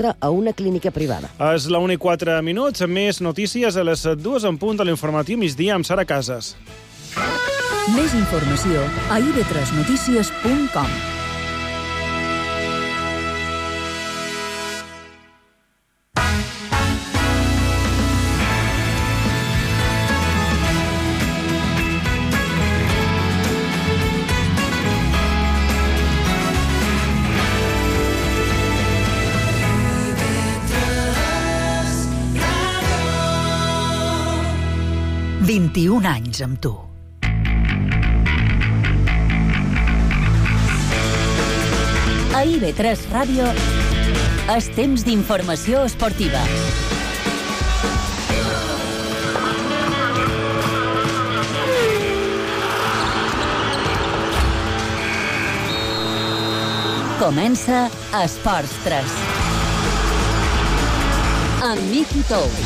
a una clínica privada. És la 1:04 minuts, més notícies a les 2 en punt de l'informatiu migdia amb Sara Casas. Més informació a ib3notícies.com. « 21 anys amb tu. A IB3 Ràdio és temps d'informació esportiva. Comença Esports 3. Amb Miqui Tous.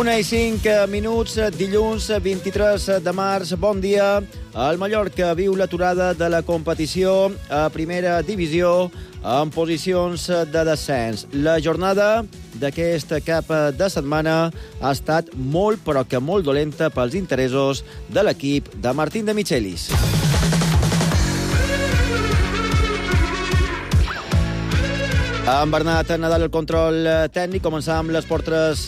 Una i 5 minuts, dilluns 23 de març. Bon dia. El Mallorca viu l'aturada de la competició a primera divisió en posicions de descens. La jornada d'aquest cap de setmana ha estat molt, però que molt dolenta pels interessos de l'equip de Martín de Michelis. En Bernat Nadal, el control tècnic. Començar amb les portes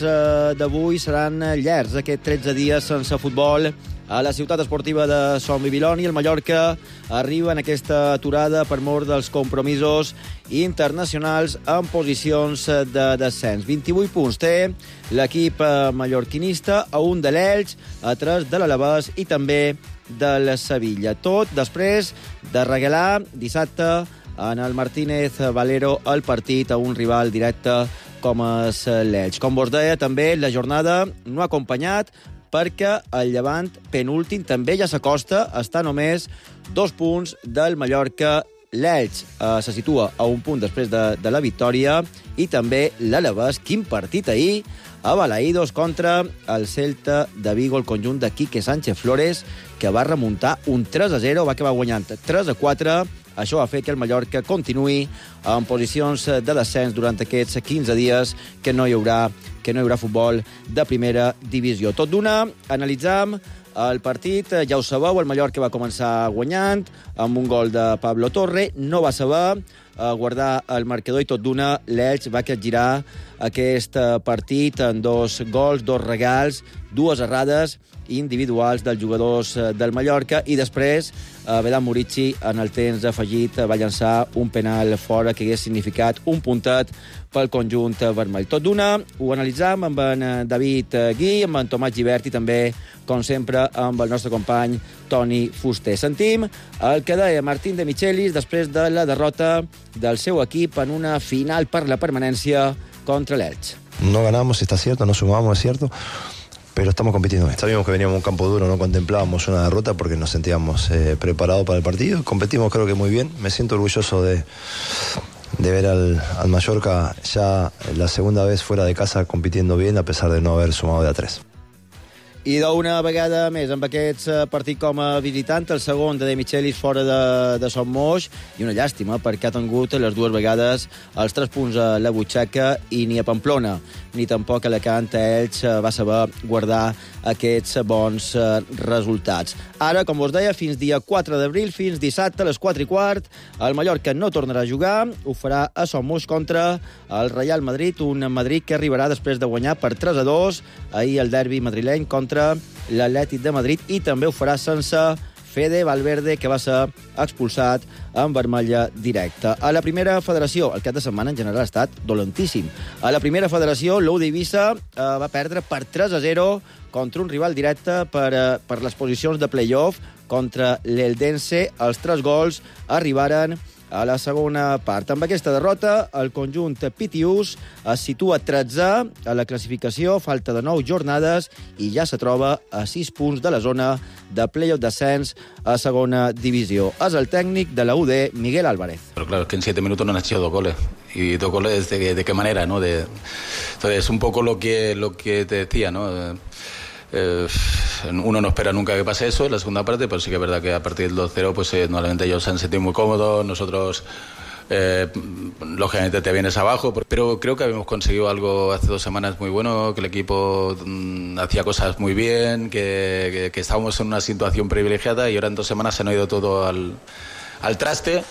d'avui. Seran llargs aquests 13 dies sense futbol a la ciutat esportiva de Som Bibiloni. El Mallorca arriba en aquesta aturada per mort dels compromisos internacionals en posicions de descens. 28 punts té l'equip mallorquinista, a un de l'Elx, a 3 de l'Alavés i també del Sevilla. Tot després de regalar dissabte en el Martínez Valero el partit a un rival directe com és l'Elx. Com vos deia, també la jornada no ha acompanyat perquè el Llevant penúltim també ja s'acosta, està només 2 punts del Mallorca. L'Elx se situa a un punt després de la victòria i també l'Alavés. Quin partit ahir a Balaïdos contra el Celta de Vigo, el conjunt de Quique Sánchez Flores, que va remuntar un 3-0, va acabar guanyant 3-4. Això va fer que el Mallorca continuï en posicions de descens durant aquests 15 dies que no hi haurà futbol de primera divisió. Tot d'una, analitzam el partit. Ja ho sabeu, el Mallorca va començar guanyant amb un gol de Pablo Torre. No va saber guardar el marcador i tot d'una l'Elx va capgirar aquest partit en 2 gols, 2 regals, 2 errades individuals dels jugadors del Mallorca i després Vedan Murici en el temps afegit va llançar un penal fora que hagués significat un puntet pel conjunt vermell. Tot d'una ho analitzam amb en David Gui, amb en Tomàs Gibert i també, com sempre, amb el nostre company Toni Fuster. Sentim el que deia Martín de Michelis després de la derrota del seu equip en una final per la permanència contra l'Elx. No ganamos, está cierto, no sumamos, es cierto, pero estamos compitiendo bien. Sabíamos que veníamos a un campo duro, no contemplábamos una derrota porque nos sentíamos preparados para el partido. Competimos creo que muy bien. Me siento orgulloso de ver al Mallorca ya la segunda vez fuera de casa compitiendo bien a pesar de no haber sumado de a 3. I d'una vegada més amb aquest partit com a visitant, el segon de Michelis fora de Son Moix, i una llàstima perquè ha tingut les 2 vegades els 3 punts a la butxaca i ni a Pamplona ni tampoc a Alacant Elx va saber guardar aquests bons resultats. Ara, com vos deia, fins dia 4 d'abril, fins dissabte a les 4:15, el Mallorca no tornarà a jugar, ho farà a Son Moix contra el Real Madrid, un Madrid que arribarà després de guanyar per 3-2 ahir el derbi madrileny contra l'Atlètic de Madrid i també ho farà sense Fede Valverde, que va ser expulsat en vermella directa. A la primera federació, el cap de setmana en general ha estat dolentíssim. A la primera federació, l'Ou d'Eivissa va perdre per 3-0 contra un rival directe per les posicions de play-off contra l'Eldense. Els 3 gols arribaren a la segona part. Amb aquesta derrota, el conjunt pitiús es situa 13è a la classificació, falta de 9 jornades i ja se troba a 6 punts de la zona de play-off descens a segona divisió. És el tècnic de la UD, Miguel Álvarez. Pero claro, es que en 7 minutos no han hecho 2 goles. ¿Y 2 goles de qué manera, no? Entonces, un poco lo que te decía, ¿no? Uno no espera nunca que pase eso en la segunda parte, pero sí que es verdad que a partir del 2-0 pues normalmente ellos se han sentido muy cómodos, nosotros lógicamente te vienes abajo, pero creo que habíamos conseguido algo hace 2 semanas muy bueno, que el equipo hacía cosas muy bien, que estábamos en una situación privilegiada y ahora en 2 semanas se han ido todo al traste.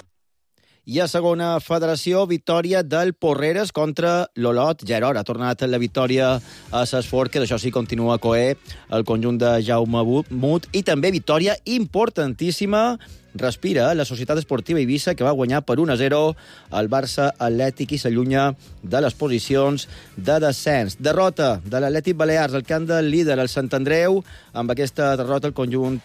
I a segona federació, victòria del Porreres contra l'Olot. Gerard ha tornat la victòria a s'esforç, que d'això sí continua coer el conjunt de Jaume Mut. I també victòria importantíssima, respira la Societat Esportiva Eivissa, que va guanyar per 1-0 el Barça Atlètic i s'allunya de les posicions de descens. Derrota de l'Atlètic Balears al camp del líder, el Sant Andreu. Amb aquesta derrota el conjunt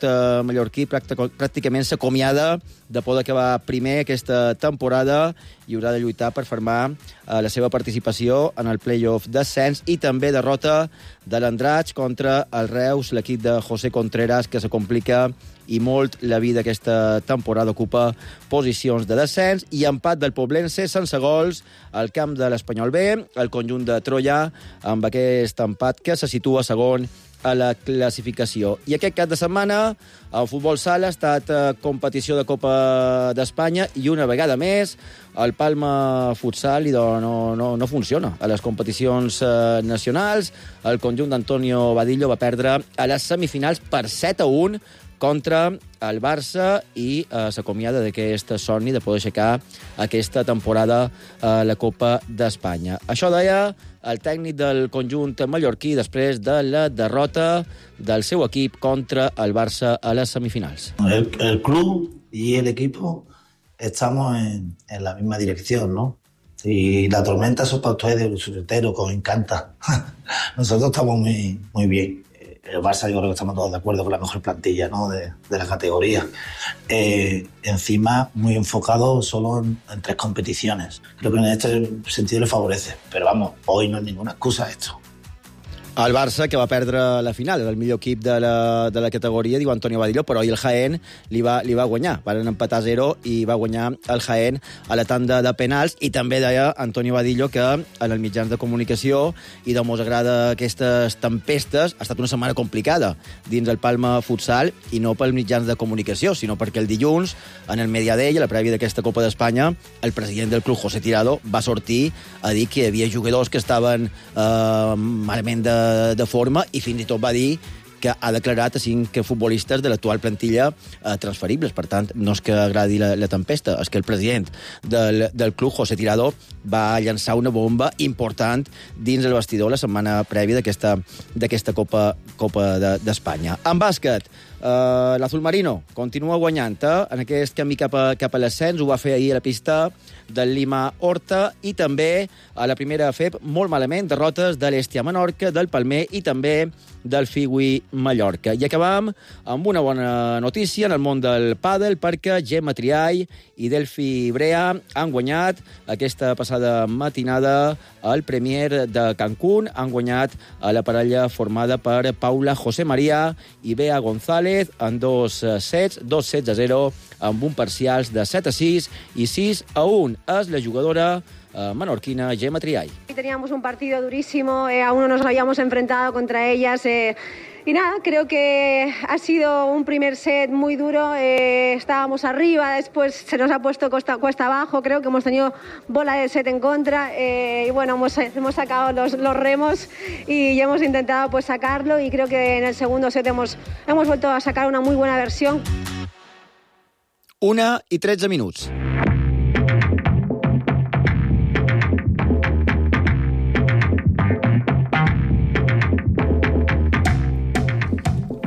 mallorquí pràcticament s'acomiada de poder acabar primer aquesta temporada i haurà de lluitar per fermar la seva participació en el play-off descens. I també derrota de l'Andratx contra el Reus, l'equip de José Contreras, que se complica i molt la vida aquesta temporada, ocupa posicions de descens. I empat del Poblense sense gols al camp de l'Espanyol B, el conjunt de Troia, amb aquest empat que se situa segon a la classificació. I aquest cap de setmana el futbol sala ha estat competició de Copa d'Espanya i una vegada més el Palma Futsal no funciona a les competicions nacionals. El conjunt d'Antonio Badillo va perdre a les semifinals per 7-1 contra el Barça i s'acomiada d'aquest somni de poder aixecar aquesta temporada a la Copa d'Espanya. Això deia el tècnic del conjunt mallorquí després de la derrota del seu equip contra el Barça a les semifinals. El club y el equipo estamos en la misma dirección, ¿no? Y la tormenta eso para ustedes, los solteros, que os encanta. Nosotros estamos muy bien. El Barça, yo creo que estamos todos de acuerdo con la mejor plantilla, ¿no? de la categoría. Encima, muy enfocado solo en 3 competiciones. Creo que en este sentido le favorece. Pero vamos, hoy no es ninguna excusa esto. El Barça, que va perdre la final, era el millor equip de la categoria, diu Antonio Badillo, però ahir el Jaén li va guanyar. Van empatar 0 i va guanyar el Jaén a la tanda de penals. I també deia Antonio Badillo que en els mitjans de comunicació i de mos agrada aquestes tempestes, ha estat una setmana complicada dins el Palma Futsal, i no pels mitjans de comunicació, sinó perquè el dilluns, en el Mediadell, a la prèvia d'aquesta Copa d'Espanya, el president del club, José Tirado, va sortir a dir que hi havia jugadors que estaven malament de forma, i fins i tot va dir que ha declarat a 5 futbolistes de l'actual plantilla transferibles. Per tant, no és que agradi la tempesta, és que el president del club, José Tirado, va llançar una bomba important dins el vestidor la setmana prèvia d'aquesta Copa d'Espanya. En bàsquet, l'Azul Marino continua guanyant en aquest camí cap a l'ascens. Ho va fer ahir a la pista del Lima Horta, i també a la primera FEP molt malament, derrotes de l'Estia Menorca, del Palmer i també del Figui Mallorca. I acabam amb una bona notícia en el món del pàdel, perquè Gemma Triay i Delphi Brea han guanyat aquesta passada matinada el Premier de Cancún. Han guanyat a la parella formada per Paula José María i Bea González en 2 sets, 2 sets a 0, amb un parcials de 7-6 i 6-1. És la jugadora menorquina Gemma Triay. Teníamos un partido durísimo, aún no nos habíamos enfrentado contra ellas. Y nada, creo que ha sido un primer set muy duro. Estábamos arriba, después se nos ha puesto cuesta abajo. Creo que hemos tenido bola de set en contra. Y bueno, hemos sacado los remos y hemos intentado pues sacarlo. Y creo que en el segundo set hemos vuelto a sacar una muy buena versión. 1:13 minuts.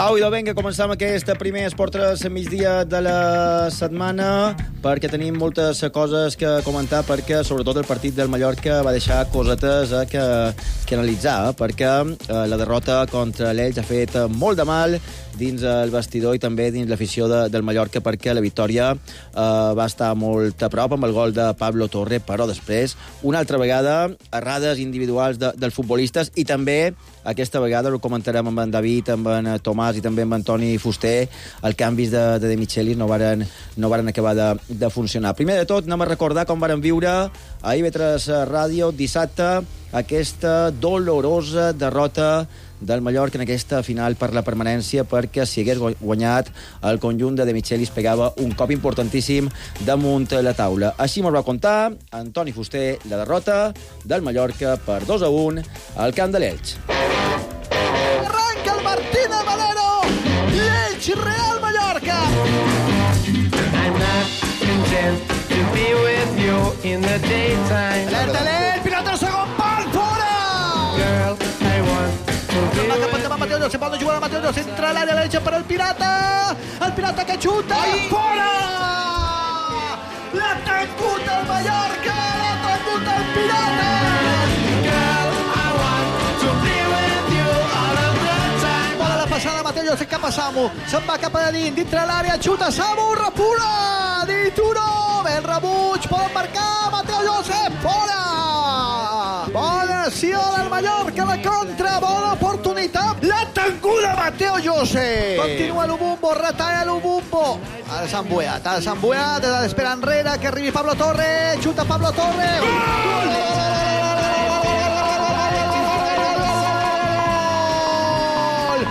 Au, idò, vinga, començam aquest primer Esport 3 migdia de la setmana, perquè tenim moltes coses que comentar, perquè sobretot el partit del Mallorca va deixar cosetes que analitzar, perquè la derrota contra l'Elx ha fet molt de mal dins el vestidor i també dins l'afició del Mallorca, perquè la victòria va estar molt a prop amb el gol de Pablo Torre, però després, una altra vegada, errades individuals dels futbolistes i també, aquesta vegada, ho comentarem amb en David, amb en Tomàs i també amb Antoni Fuster, els canvis de Michelis no varen acabar de funcionar. Primer de tot, anem a recordar com varen viure a IB3 Ràdio dissabte aquesta dolorosa derrota del Mallorca en aquesta final per la permanència, perquè si hagués guanyat el conjunt de Michelis pegava un cop importantíssim damunt la taula. Així m'ho va contar Antoni Fuster la derrota del Mallorca per 2-1 al camp de l'Elx. Arranca el Martínez Valero, l'Elx Real Mallorca. I'm not content to be with you in the daytime. Alerta l'Elx, pilota al segon pal, fora! Girl, I want Mateo José, palla jugare a Mateo José, entra all'area, la legge per il Pirata che xuta, fora! L'ha tancut el Mallorca, l'ha tancut el Pirata! Girl, I want to be with you all of the time. Bola la passada, Mateo José cap a Samu, se'n va cap a dins, dintre l'àrea, xuta Samu, repura! Di Turo, ben rebuig, poden marcar, Mateo José, fora! Bona acció del Mallorca, la contra, bona oportunitat. La tanguda Mateo José. Continua l'Ubumbo, retalla l'Ubumbo. Ara s'han buiat, espera enrere que arribi Pablo Torre, xuta Pablo Torre. Gol!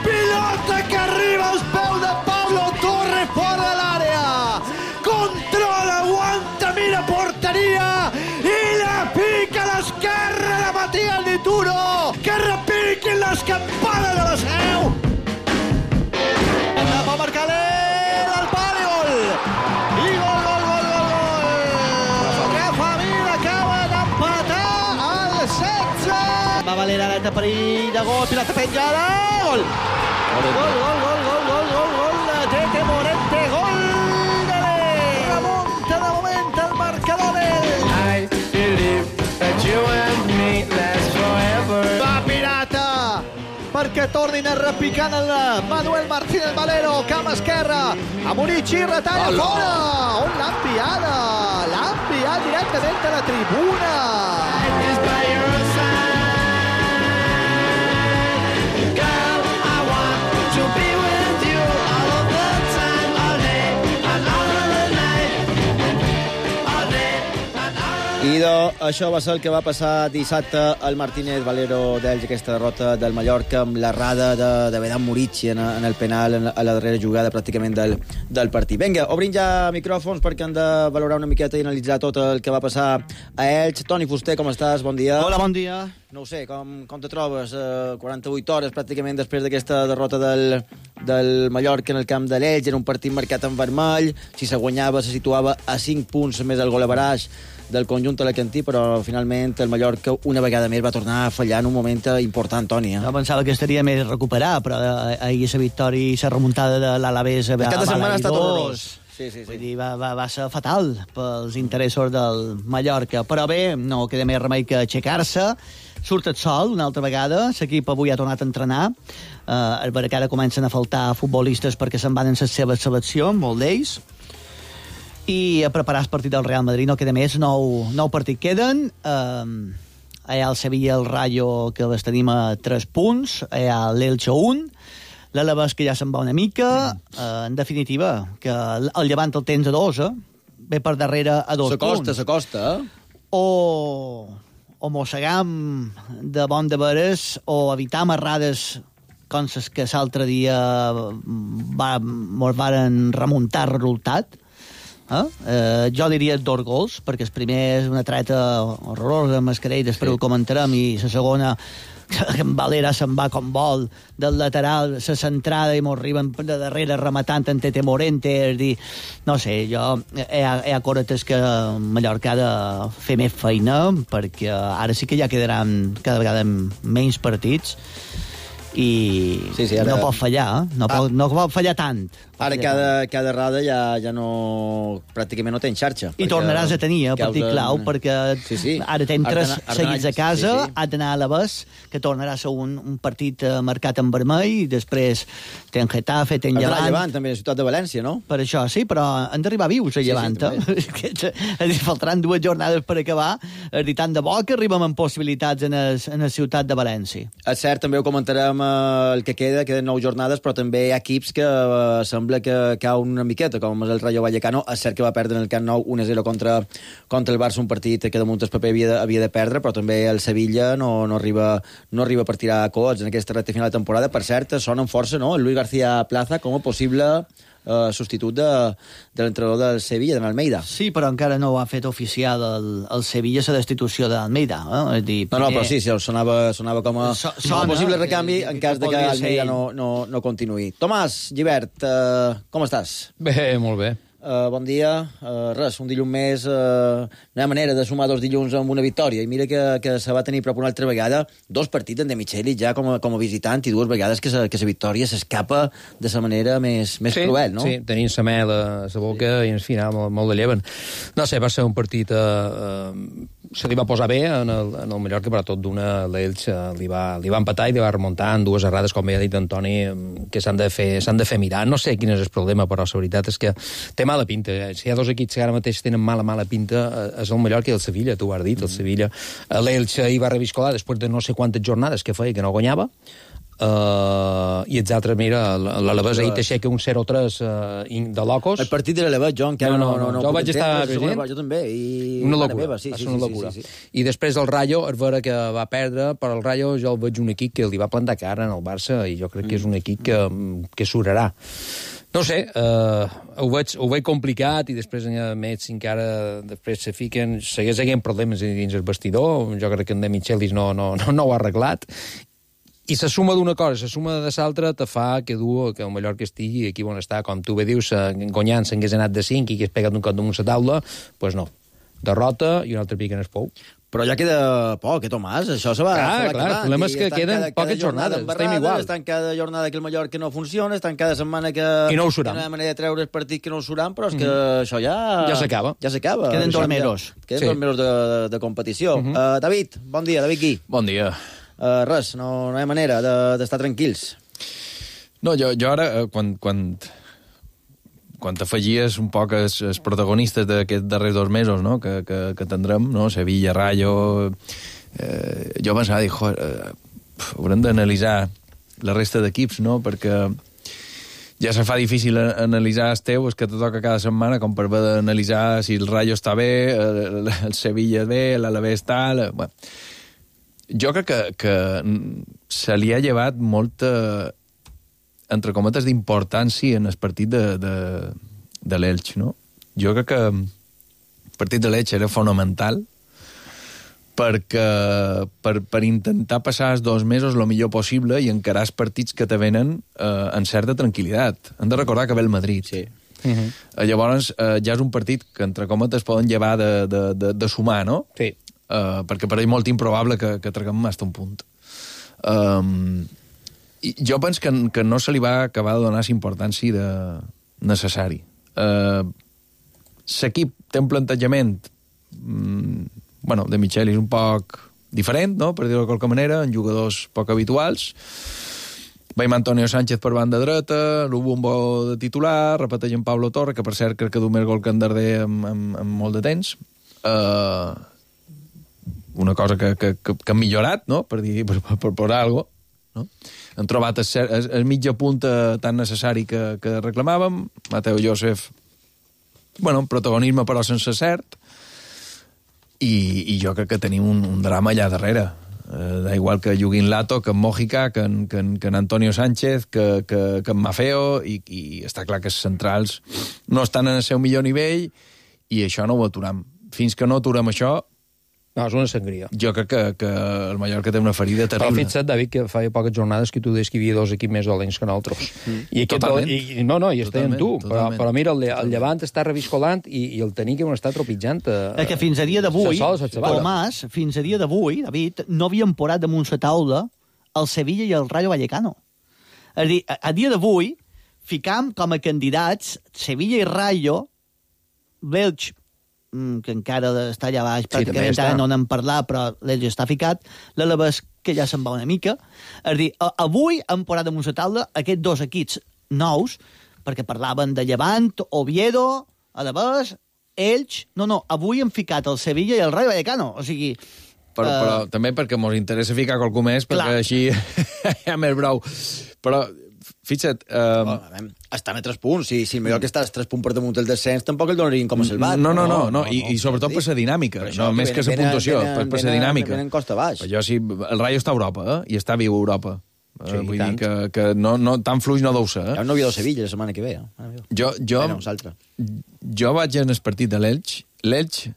Pilota que arriba als peus de Pablo Torre fora de l'àrea. Controla, aguanta, mira porteria i la pica a l'esquerra de Matías Dituro, que repiquen les campanes de la Seu. Va marcar el pare, gol. I gol. Rafa Mir acaba d'empatar al 16. Va valer l'aleta perill de gol, pilota penjada, gol. Gol. Tete Morente, gol. Remunta de moment el marcador I believe that you and me last forever. Va Pirata perquè tornin a repicar el Manuel Martínez Valero, camp esquerra, a Murici, retalla fora. On l'ha enviada? L'ha enviat directament a la tribuna. Girl, I want to be with you all of the time, all day and all of the night, all day and all. Idò, això va ser el que va passar dissabte al Martínez Valero d'Elx, aquesta derrota del Mallorca amb l'errada de Vedan Murici en el penal a la darrera jugada pràcticament del partit. Vinga, obrim ja micròfons perquè hem de valorar una miqueta i analitzar tot el que va passar a Elx. Toni Fuster, com estàs? Bon dia. Hola, bon dia. No ho sé, com te trobes 48 hores pràcticament després d'aquesta derrota del Mallorca en el camp de l'Elx? Era un partit marcat en vermell, si se guanyava se situava a 5 punts més el gol average del conjunt alacantí, però finalment el Mallorca una vegada més va tornar a fallar en un moment important, Toni. Jo pensava que estaria més recuperat, però ahir la victòria i la remuntada de l'Alavés el cap de setmana ha estat horrorós. Sí. Vull dir, va ser fatal pels interessos del Mallorca, però bé, no queda més remei que aixecar-se. Surt el sol una altra vegada, l'equip avui ha tornat a entrenar, és vera que ara comencen a faltar futbolistes perquè se'n van en la seva selecció, molt d'ells, i a preparar el partit del Real Madrid. No queda més, nou partit queden. Hi ha el Sevilla, el Rayo, que les tenim a 3 punts, hi ha l'Elche 1, l'Alavés que ja se'n va una mica, en definitiva, que el Llevant el tens a 2, ve per darrere a 2 punts. S'acosta, O mossegam de bon de veres, o evitar errades com les que l'altre dia mos varen remuntar el resultat. Jo diria 2 gols, perquè el primer és una treta horrorosa amb Mascarell, després ho comentarem, i la segona que en Valera se'n va com vol del lateral, la centrada, i mos arriben de darrere rematant en Tete Morente. És dir, no sé, hi ha coretes que Mallorca ha de fer més feina, perquè ara sí que ja quedaran cada vegada menys partits, i no pot fallar, no pot fallar tant. Ara cada errada ja no... pràcticament no té xarxa. I tornaràs a tenir partit clau, perquè ara tens 3 seguits a casa, has d'anar a l'Alavés, que tornarà a ser un partit marcat en vermell, i després tens Getafe, tens Llevant. Llevant, també, la ciutat de València, no? Per això, sí, però han d'arribar vius a Llevant, faltaran 2 jornades per acabar, i tant de bo que arribem amb possibilitats en la ciutat de València. És cert, també ho comentarem el que queden 9 jornades, però també hi ha equips que sembla que cau una miqueta, com és el Rayo Vallecano. És cert que va perdre en el Camp Nou 1-0 contra el Barça, un partit que damunt el paper havia de perdre, però també el Sevilla no arriba per tirar coets en aquesta recta final de temporada. Per cert, sonen força, no?, el Luis García Plaza com a possible substitut de l'entrenador del Sevilla, de Almeida. Sí, però encara no ho ha fet oficial el Sevilla, la destitució d'Almeida. Però sí, sonava com a possible recanvi en cas de que Almeida no continuï. Tomàs Gibert, com estàs? Bé, molt bé. Bon dia. Res, un dilluns més, no hi ha manera de sumar 2 dilluns amb una victòria, i mira que se va tenir prop una altra vegada 2 partits en De Micheli ja com a visitant, i 2 vegades que la victòria s'escapa de la manera més cruel, no? Sí, tenint la mel a la boca i al final molt de lleven. No sé, va ser un partit se li va posar bé en el Mallorca, però tot d'una l'Elx li va empatar i li va remuntar en 2 errades, com ja ha dit Antoni, que s'han de fer mirar. No sé quin és el problema, però la veritat és que té mala pinta. Si hi ha 2 equips que ara mateix tenen mala pinta, és el Mallorca i el Sevilla, tu ho has dit, el Sevilla. L'Elx hi va reviscolar després de no sé quantes jornades que feia que no guanyava, i els altres, mira, l'Alavés ahir t'aixeca un 0-3 de locos. El partit de l'Alavés, jo encara no jo vaig estar present. Jo també. Una locura, una locura. I després el Rayo, és vera que va perdre, però el Rayo jo el veig un equip que li va plantar cara en el Barça, i jo crec que és un equip que surarà. No sé, ho veig complicat, i després més encara després se fiquen, segueix havent problemes dins el vestidor. Jo crec que en De Michelis no ho ha arreglat, i la suma d'una cosa, la suma de l'altra te fa que el Mallorca estigui aquí on està. Com tu bé dius, guanyant s'hagués anat de 5 i que es pegat un cop damunt la taula, doncs no. Derrota i un altre pic en el pou. Però ja queda poc, Tomàs? Això se va acabar. Clar, el problema és que queden poques jornades. Estem igual. Estan cada jornada que el Mallorca no funciona, estan cada setmana que... I no ho suram. No hi ha manera de treure el partit que no ho suram, però és que això ja... Ja s'acaba. Ja s'acaba. Queden 2 mesos. Queden 2 mesos de competició. David, bon dia. David Gui. Bon dia. Res, no hi ha manera d'estar tranquils. No, jo ara, quan t'afegies un poc els protagonistes d'aquests darrers 2 mesos, no?, que tindrem, no?, Sevilla, Rayo... jo pensava, haurem d'analitzar la resta d'equips, no?, perquè ja se fa difícil analitzar els teus, que te toca cada setmana, com per haver d'analitzar si el Rayo està bé, el Sevilla bé, l'Alavés tal... Bueno, jo crec que se li ha llevat molta, entre cometes, d'importància en el partit de l'Elx, no? Jo crec que el partit de l'Elx era fonamental perquè per intentar passar els 2 mesos el millor possible i encarar els partits que te venen en certa tranquil·litat. Hem de recordar que ve el Madrid. Sí. Llavors, ja és un partit que, entre cometes, poden llevar de sumar, no? Sí. Perquè per ell molt improbable que traguem hasta un punt. I jo penso que no se li va acabar de donar la importància necessari. L'equip té un plantejament De Michelis un poc diferent, no?, per dir-ho de qualque manera, en jugadors poc habituals. Veiem Antonio Sánchez per banda dreta, l'Ubumbo de titular, repeteix en Pablo Torre, que per cert crec que du més gol que en Darder amb molt de temps. Una cosa que han millorat, no?, per posar alguna cosa, no? Han trobat el mitja punta tan necessari que reclamàvem. Mateo Josef, protagonisme però sense cert, i jo crec que tenim un drama allà darrere. Da igual que Yuguín Lato, que en Mojica, que en Antonio Sánchez, que en Mafeo, i està clar que els centrals no estan en el seu millor nivell, i això no ho aturam. Fins que no aturem això, no, és una sangria. Jo crec que el Mallorca té una ferida terrible. Però fixa't, David, que fa poques jornades que tu deies que hi havia 2 equips més dolents que nosaltres. Totalment. I estem tu. Però mira, el Llevant està reviscolant i el Tenique està tropitjant. Que fins a dia d'avui, Tomàs, fins a dia d'avui, David, no havien posat damunt la taula el Sevilla i el Rayo Vallecano. És a dir, a dia d'avui, ficam com a candidats Sevilla i Rayo, l'Elx, que encara està allà baix, pràcticament ara no n'hem parlat, però l'Elx està ficat, l'Alavés, que ja se'n va una mica. És a dir, avui hem posat damunt la taula aquests dos equips nous, perquè parlaven de Llevant, Oviedo, Alavés, Elx... No, avui hem ficat el Sevilla i el Rayo Vallecano, o sigui... Però també perquè ens interessa ficar qualcú més, perquè així hi ha més brou. Però, fixa't... Estan a 3 punts. Si el Mallorca està a 3 punts per damunt del descens, tampoc el donarien com a salvat. No. I sobretot per la dinàmica. No, més que la puntuació, per la dinàmica. Venen costa baix. El Rayo està a Europa, i està viu a Europa. Vull dir que no, tan fluix no deu ser. Hi ha un Oviedo Sevilla la setmana que ve. Jo vaig en el partit de l'Elx. L'Elx,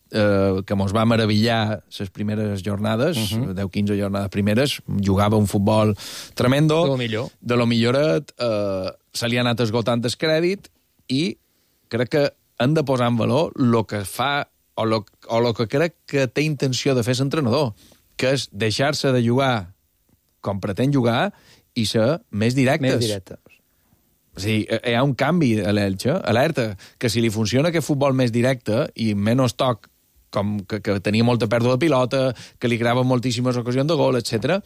que mos va meravellar les primeres jornades, 10-15 jornades primeres, jugava un futbol tremendo, de lo milloret, se li ha anat esgotant el crèdit, i crec que han de posar en valor el que fa, o el que crec que té intenció de fer l'entrenador, que és deixar-se de jugar com pretén jugar i ser més directes. O sigui, hi ha un canvi a l'Elx, alerta, que si li funciona aquest futbol més directe i menys toc, com que tenia molta pèrdua de pilota, que li creava moltíssimes ocasions de gol, etc.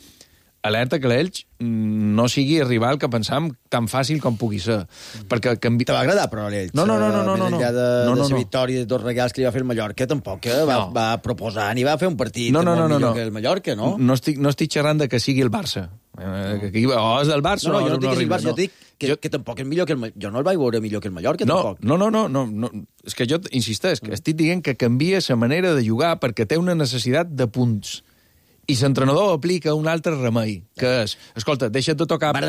Alerta que l'Elx no sigui arribar al que pensàvem tan fàcil com pugui ser. Perquè te va agradar, però, l'Elx? No. Més enllà de la victòria de 2 regals que li va fer el Mallorca, tampoc va proposar ni va fer un partit molt millor que el Mallorca, no? No estic xerrant de que sigui el Barça. Que és del Barça. No, jo no dic que sigui el Barça, jo dic que tampoc és millor que el Mallorca. Jo no el vaig veure millor que el Mallorca, tampoc. No. És que jo insisteix, que estic dient que canvia la manera de jugar perquè té una necessitat de punts. I l'entrenador aplica un altre remei, que és, escolta, deixa't de tocar... Van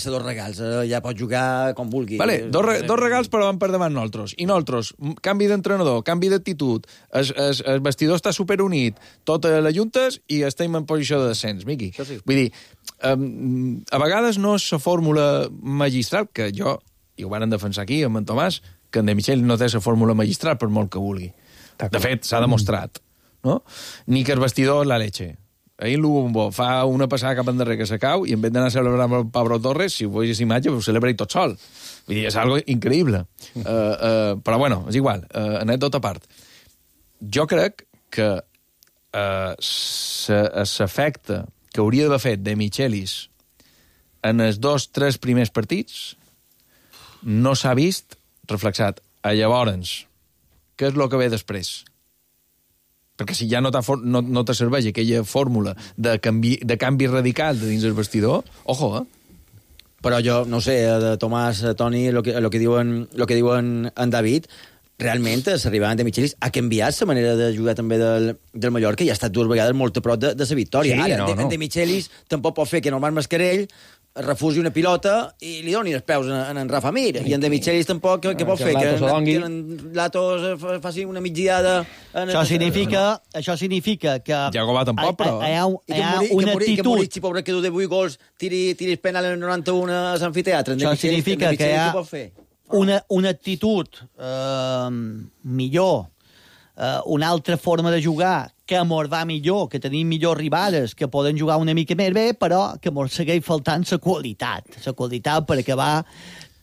ser 2 regals, ja pots jugar com vulgui. Vale, dos regals, però van per davant nosaltres. I nosaltres, canvi d'entrenador, canvi d'actitud, el vestidor està superunit, tota la juntes i estem en posició de descens, Miqui. Sí. Vull dir, a vegades no és la fórmula magistral, que jo, i ho van defensar aquí amb en Tomàs, que en De Michel no té la fórmula magistral per molt que vulgui. De fet, s'ha demostrat. No? Ni que el vestidor la leche. Ahir l'Ubo fa una passada cap endarrere que se cau i en vez d'anar a celebrar amb el Pablo Torres, si ho veus imatge, ho celebra i tot sol. Vull dir, és algo increïble. Però bueno, és igual, anècdota a part. Jo crec que l'efecte que hauria d'haver fet De Michelis en els 2-3 primers partits no s'ha vist reflexat. Llavors, què és el que ve després? Perquè si ja no te serveix aquella fórmula de canvi radical de dins el vestidor, ojo, Però jo, no sé, de Tomàs, Toni, el que diuen en David, realment s'arribaven De Michelis ha canviat la manera de jugar també del Mallorca i ha estat 2 vegades molt a prop de la victòria. Sí, Ara, De Michelis tampoc pot fer que Norman Mascarell refusi una pilota i li doni els peus en Rafa Mir. I en De Michelis tampoc què pot fer? Que en Latos faci una migdiada... Això significa que... Jago va tampoc, però... Hi ha una actitud... Que Moritz, pobre, que du de 8 gols, tiri penal en el 91 a l'amfiteatre. Això significa que hi ha una actitud millor, una altra forma de jugar que mos va millor, que tenim millors rivals, que poden jugar una mica més bé, però que mos segueix faltant la qualitat per acabar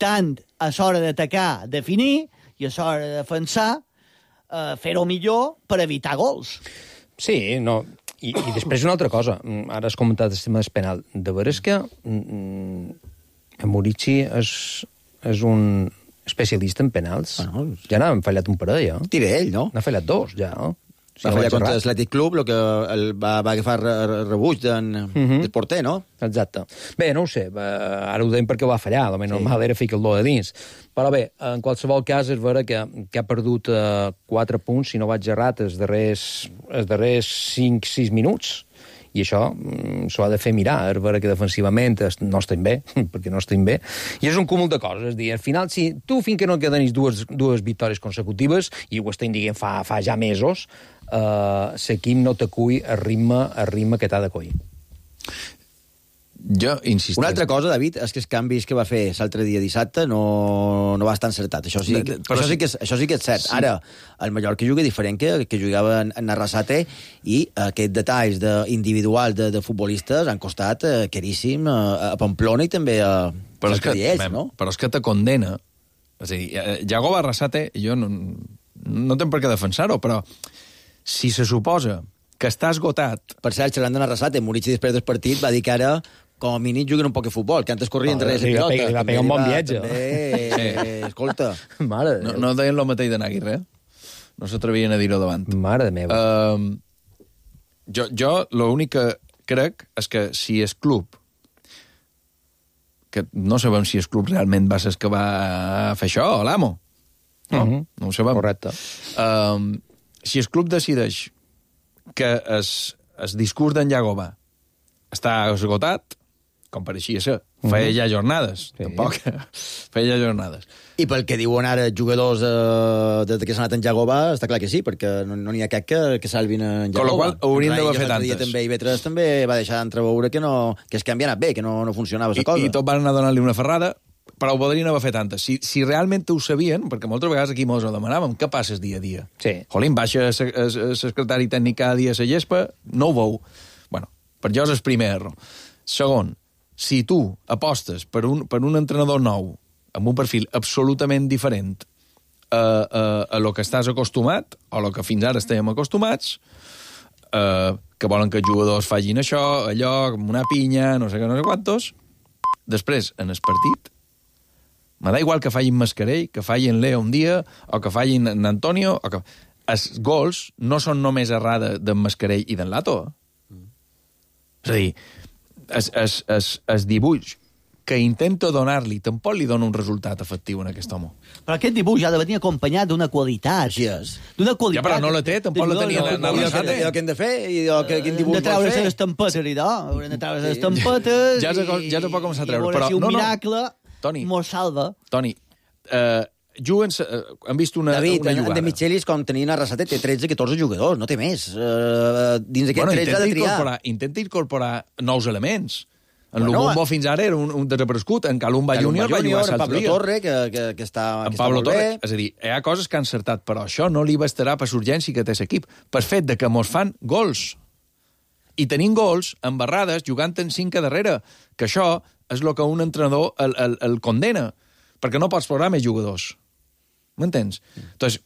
tant a l'hora d'atacar, definir, i a l'hora de defensar, fer-ho millor per evitar gols. Sí, no... I després una altra cosa. Ara has comentat el tema del penal. De veres que Murici és un especialista en penals. Bueno, ja n'ha fallat un parell, Tira ell, no? N'ha fallat 2, ja, Va fallar contra l'Atlètic Club, el que va agafar rebuig del porter, no? Exacte. Bé, no ho sé, ara ho deim perquè ho va fallar, el més normal era ficar el do de dins. Però bé, en qualsevol cas és vera que ha perdut 4 punts, si no vaig errat, els darrers 5-6 minuts. I això s'ho ha de fer mirar, és vera que defensivament no estem bé, perquè no estem bé, i és un cúmul de coses, és a dir, al final, si tu fins que no quedenis dues victòries consecutives, i ho estem dient fa ja mesos, l'equip no t'acull el ritme que t'ha de coll. Jo insisteixo. Una altra cosa, David, és que els canvis que va fer l'altre dia dissabte no va estar encertat. Això sí que és cert. Sí. Ara, el Mallorca juga diferent que jugava en Arrasate i aquests detalls individuals de futbolistes han costat caríssim a Pamplona i també a Caldiells, no? Però és que te condena. És a dir, Yagoba Arrasate, jo no tenc per què defensar-ho, però si se suposa que està esgotat... Per cert, xerrant d'en Arrasate, Murici després del partit va dir que ara, com a mínim, juguen un poc de futbol, que antes corrien entre la pilota. Li va pegar un bon viatge. Escolta. No deien el mateix de Naguirre, no s'atrevien a dir-ho davant. Mare meva. Jo l'únic que crec és que si és club, que no sabem si el club realment va ser el que va fer això, o l'amo. No? No ho sabem. Correcte. Si el club decideix que el discurs d'en Yagoba està esgotat, com pareixia ser, feia ja jornades. Sí. Tampoc. Feia ja jornades. I pel que diuen ara els jugadors des que s'ha anat en Yagoba, està clar que sí, perquè no n'hi ha cap que salvin en Yagoba. Con la qual haurien d'haver fet antes. També Ivetres també va deixar d'entreveure que el canvi ha anat bé, que no funcionava la cosa. I tot van anar a donar-li una ferrada, però ho podrien haver fet antes. Si realment ho sabien, perquè moltes vegades aquí mos ho demanàvem, què passa dia a dia? Sí. Jolín, baixa el secretari tècnic cada dia a la gespa, no ho veu. Bueno, per jo és el primer error. Segon, si tu apostes per un entrenador nou, amb un perfil absolutament diferent a lo que estàs acostumat, o a lo que fins ara estàvem acostumats, que volen que els jugadors facin això, allò, com una pinya, no sé què, no sé quantos, després, en el partit, me da igual que facin Mascarell, que facin Leo un dia, o que facin en Antonio, o que... Els gols no són només errada d'en Mascarell i d'en Lato. És a dir, el dibuix que intento donar-li tampoc li dona un resultat efectiu en aquest home. Però aquest dibuix ha de venir acompanyat d'una qualitat. Així és. D'una qualitat. Ja, però no la té, tampoc la tenia en Arrasate. I el que hem de fer, i quin dibuix de treure les estampetes, haurem de treure les estampetes... Ja se pot començar a treure. I veure si un miracle mos salva. Toni, juguen... Han vist una David, jugada. en De Michelis, com tenien Arrasate, té 13-14 jugadors, no té més. Dins d'aquest 13 ha de triar. Intenta incorporar nous elements. En Lubumbo fins ara era un desaparegut. En Calumba Júnior va jugar en Pablo Torre, que està molt bé. És a dir, hi ha coses que han encertat, però això no li bastarà per l'urgència que té l'equip. Per fet de que mos fan gols. I tenim gols embarrades jugant en 5 a darrere, que això és el que un entrenador el condena, perquè no pots programar més jugadors. M'entens? Entonces,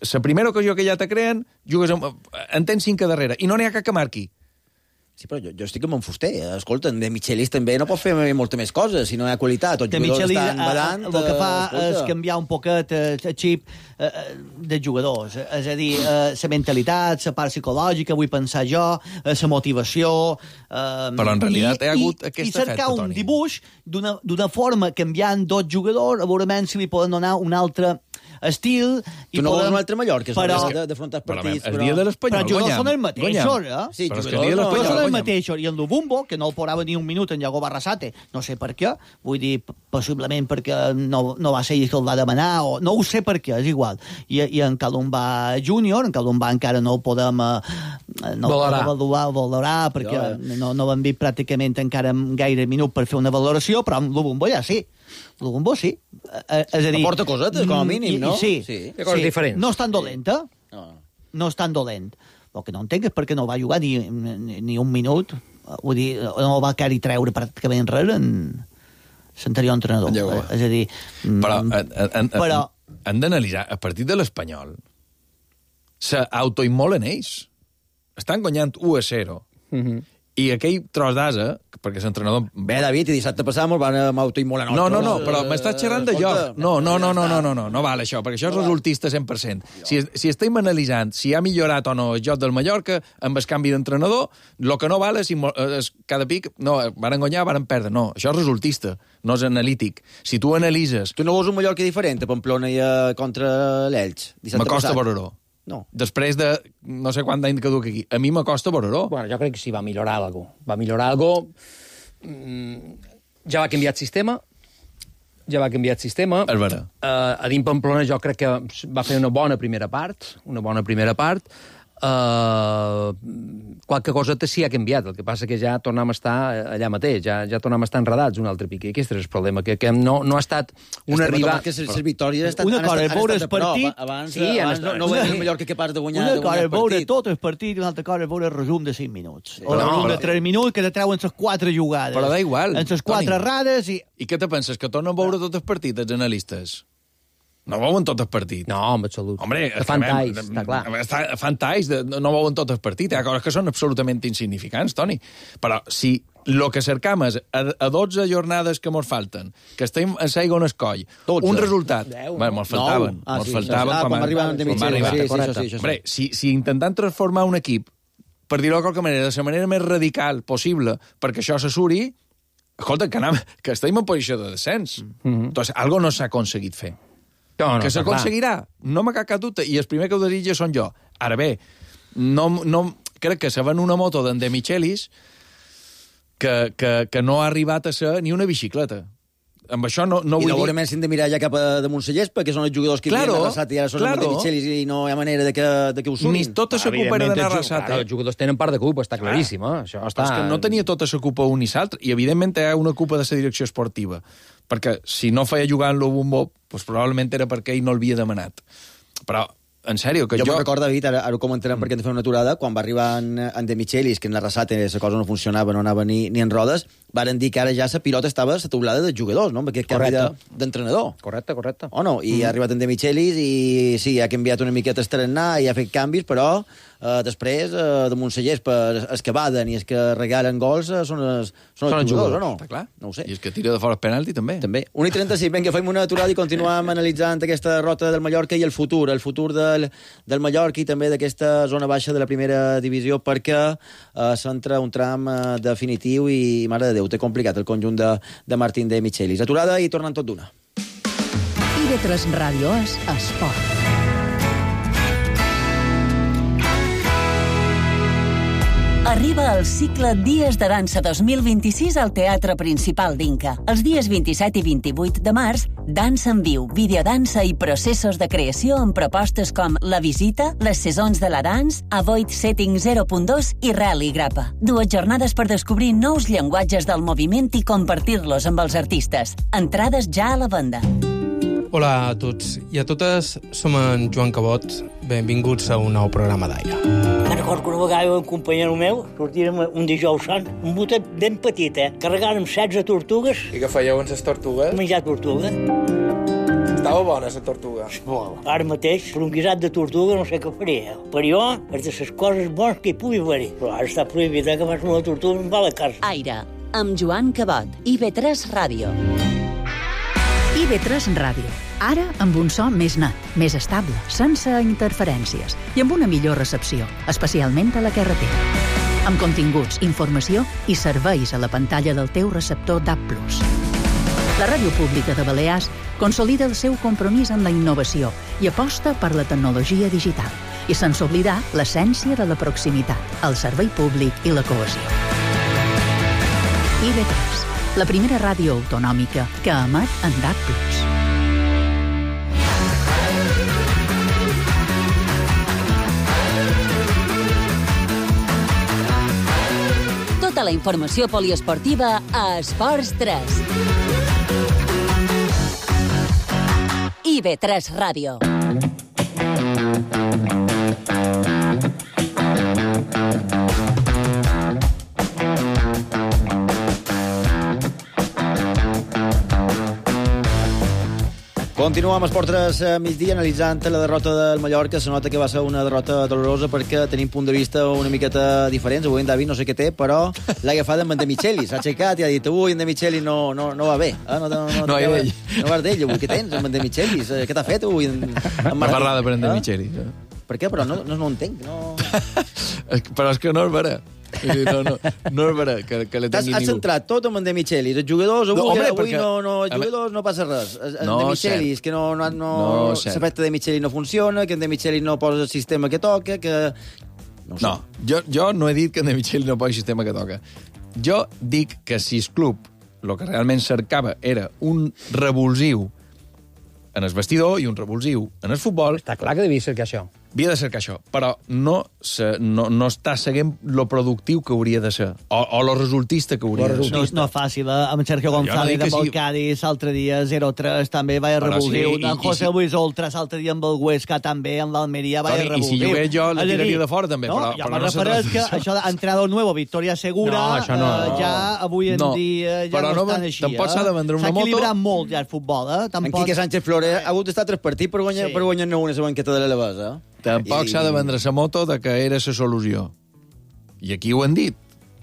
la primera ocasió que ja te creen, jugues en tens 5 a darrere, i no n'hi ha cap que marqui. Sí, però jo estic amb en Fuster. Escolta, en De Michelis també no pot fer molta més coses, si no hi ha qualitat. Els jugadors estan badant... El que fa és canviar un poquet el xip de jugadors. És a dir, la mentalitat, la part psicològica, vull pensar jo, la motivació... Però en realitat hi ha hagut aquest efecte, Toni. I cercar un dibuix d'una forma canviant dos jugadors, a veure si li poden donar un altre estil... Tu no vols un altre Mallorca, d'afrontar partits, però... El dia de l'Espanyol però els jugadors són els mateixos, eh? Sí, però el dia de l'Espanyol són els mateixos. I el Lubumbo, que no el porava ni un minut en Yagoba Arrasate, no sé per què, vull dir, possiblement perquè no va ser ell que el va demanar, o no ho sé per què, és igual. I en Calumba Júnior, en Calumba encara no el podem valorar, perquè no vam dir pràcticament encara gaire minut per fer una valoració, però amb Lubumbo ja sí. Lubumbo sí. És a dir... Aporta cosetes, com a mínim, no? Sí. Hi ha coses diferents. No és tan dolenta. No és tan dolent. El que no entenc és perquè no va jugar ni un minut. Vull dir, no va quedar-hi treure pràcticament res en l'anterior entrenador. És a dir... Però han d'analitzar, a partir de l'Espanyol, s'autoimmolen ells. Estan guanyant 1-0. I aquell tros d'asa, perquè l'entrenador... Bé, David, i dissabte passat me'l van autoimmolar. No, però m'estàs xerrant de joc. No val això, perquè això és resultista 100%. Si estem analitzant si ha millorat o no el joc del Mallorca amb el canvi d'entrenador, el que no val és cada pic... No, van guanyar, van perdre. No, això és resultista, no és analític. Si tu analitzes... Tu no vols un Mallorca diferent a Pamplona i contra l'Elx? M'acosta veure-ho. No. Després de no sé quant d'any que duc aquí. A mi m'acosta veure-ho. Bueno, jo crec que sí, va millorar alguna cosa. Va millorar alguna cosa. Ja va canviar el sistema. És vera. A dins Pamplona jo crec que va fer una bona primera part. qualque cosa sí ha canviat. El que passa que ja tornem a estar allà mateix, ja tornem a estar enredats un altre pic. I aquest és el problema, que no ha estat una arribada... Que les victòries una cosa és veure el partit... Abans no ho veiem millor que capaç de guanyar una cosa és veure tot el partit i una altra cosa és veure el resum de 5 minuts. O el resum de 3 minuts que te treuen les 4 jugades. Però da igual. En les 4 errades i... I què te penses, que tornen a veure tot el partit, els analistes? No veuen tot el partit. No, en absolut. Hombre, fan talls, està clar. Fan talls, no veuen tot el partit. Hi ha coses que són absolutament insignificants, Toni. Però si el que cercam és a 12 jornades que mos falten, que estem a segona escoll, 12. Un resultat... Mos faltaven. Quan arribaven de mitja. Hombre, si intentant transformar un equip, per dir-ho de qualque manera, de la manera més radical possible, perquè això s'assuri, escolta, que estem en posició de descens. Entonces, algo no s'ha aconseguit fer. Que s'aconseguirà, no m'ha cap dubte, i el primer que ho desitja són jo. Ara bé, crec que se ven una moto d'en De Michelis que no ha arribat a ser ni una bicicleta. Amb això no vull dir... I segurament s'hem de mirar ja cap a damunt la gespa, que són els jugadors que havien arrasat i ara són els De Michelis i no hi ha manera de que ho sumin. Ni tota la culpa era d'anar arrasat. Els jugadors tenen part de culpa, està claríssim. Això està... És que no tenia tota la culpa un i l'altre, i evidentment hi ha una culpa de la direcció esportiva, perquè si no feia jugar en lo bombo, doncs probablement era perquè ell no l'havia demanat. Però, en sèrio, que jo me'n recordo, David, ara ho comentarem perquè hem de fer una aturada, quan va arribar en De Michelis, que en la Arrasate la cosa no funcionava, no anava ni en rodes, varen dir que ara ja la pilota estava a la taulada dels jugadors, no? Amb aquest canvi d'entrenador. Correcte. O no? I ha arribat en De Michelis i sí, ha canviat una miqueta el tarannà i ha fet canvis, però després, damunt la gespa, els que baden i els que regalen gols són els jugadors, o no? Està clar. No ho sé. I els que tira de fora el penalti, també. 1:36, vinga, fem una aturada i continuem analitzant aquesta rota del Mallorca i el futur del Mallorca i també d'aquesta zona baixa de la primera divisió, perquè s'entra un tram definitiu i, mare de Déu, té complicat el conjunt de Martín De Michelis. Aturada i tornen tot d'una. IB3 Ràdio és esport. Arriba el cicle Dies de Dansa 2026 al Teatre Principal d'Inca. Els dies 27 i 28 de març, dansa en viu, videodansa i processos de creació amb propostes com La Visita, Les Saisons de la Dance, Avoid Setting 0.2 i Rally Grappa. 2 jornades per descobrir nous llenguatges del moviment i compartir-los amb els artistes. Entrades ja a la venda. Hola a tots i a totes, som en Joan Cabot. Benvinguts a un nou programa d'Aire. Me'n recordo que una vegada un companyero meu sortirem un dijous sant, un botet ben petit, carregàrem 16 tortugues. I què fèieu amb les tortugues? Menjar tortuga. Estava bona, la tortuga? Molt. Ara mateix, per un guisat de tortuga no sé què faria. Per jo, és de les coses bones que hi pugui haver-hi. Però ara està prohibit que fas una tortuga amb la casa. Aire, amb Joan Cabot, IB3 Ràdio. IB3 Ràdio. Ara amb un so més net, més estable, sense interferències i amb una millor recepció, especialment a la carretera. Amb continguts, informació i serveis a la pantalla del teu receptor DAB+. La Ràdio Pública de Balears consolida el seu compromís amb la innovació i aposta per la tecnologia digital i sense oblidar l'essència de la proximitat, el servei públic i la cohesió. IB3, la primera ràdio autonòmica que emet en DAB+. Tota la informació poliesportiva a Esports 3. IB3 Ràdio. Continuem amb Esport 3 migdia, analitzant la derrota del Mallorca. Se nota que va ser una derrota dolorosa perquè tenim punt de vista una miqueta diferents. Avui en David no sé què té, però l'ha agafat amb en De Michelis. S'ha aixecat i ha dit, avui en De Michelis no va bé. No vas d'ell, avui. Què tens amb en De Michelis? Què t'ha fet avui en Martín? Una barrada per en De Michelis. Per què? Però no entenc. No... Però és que no és vera. No és vera que le tingui Has centrat tot amb en De Michelis. Els jugadors avui no passa res. En De Michelis, que l'efecte De Michelis no funciona, que en De Michelis no posa el sistema que toca, que... No, jo no he dit que en De Michelis no posa el sistema que toca. Jo dic que si el club el que realment cercava era un revulsiu en el vestidor i un revulsiu en el futbol... Està clar que devia ser que això. havia de cercar això, però no està seguint lo productiu que hauria de ser, o lo resultista que hauria de ser. No és fàcil, amb Sergio González, amb el Cádiz, l'altre dia 0-3, també va revulsiu, amb José Luis Oltras, l'altre dia amb el Huesca, també, amb l'Almeria, va revulsiu. I si jugués jo, la tiraria de fora, també, però no se tracta. Que això d'entrenador nuevo, victòria segura, ja avui en dia ja no estan així. Tampoc s'ha de vendre una moto. S'ha equilibrat molt ja el futbol, En Quique Sánchez Flores ha hagut d'estar 3 partits per guanyar-ne una a la banqueta de l'Alavés, Tampoc s'ha de vendre la moto de que era la solució. I aquí ho han dit.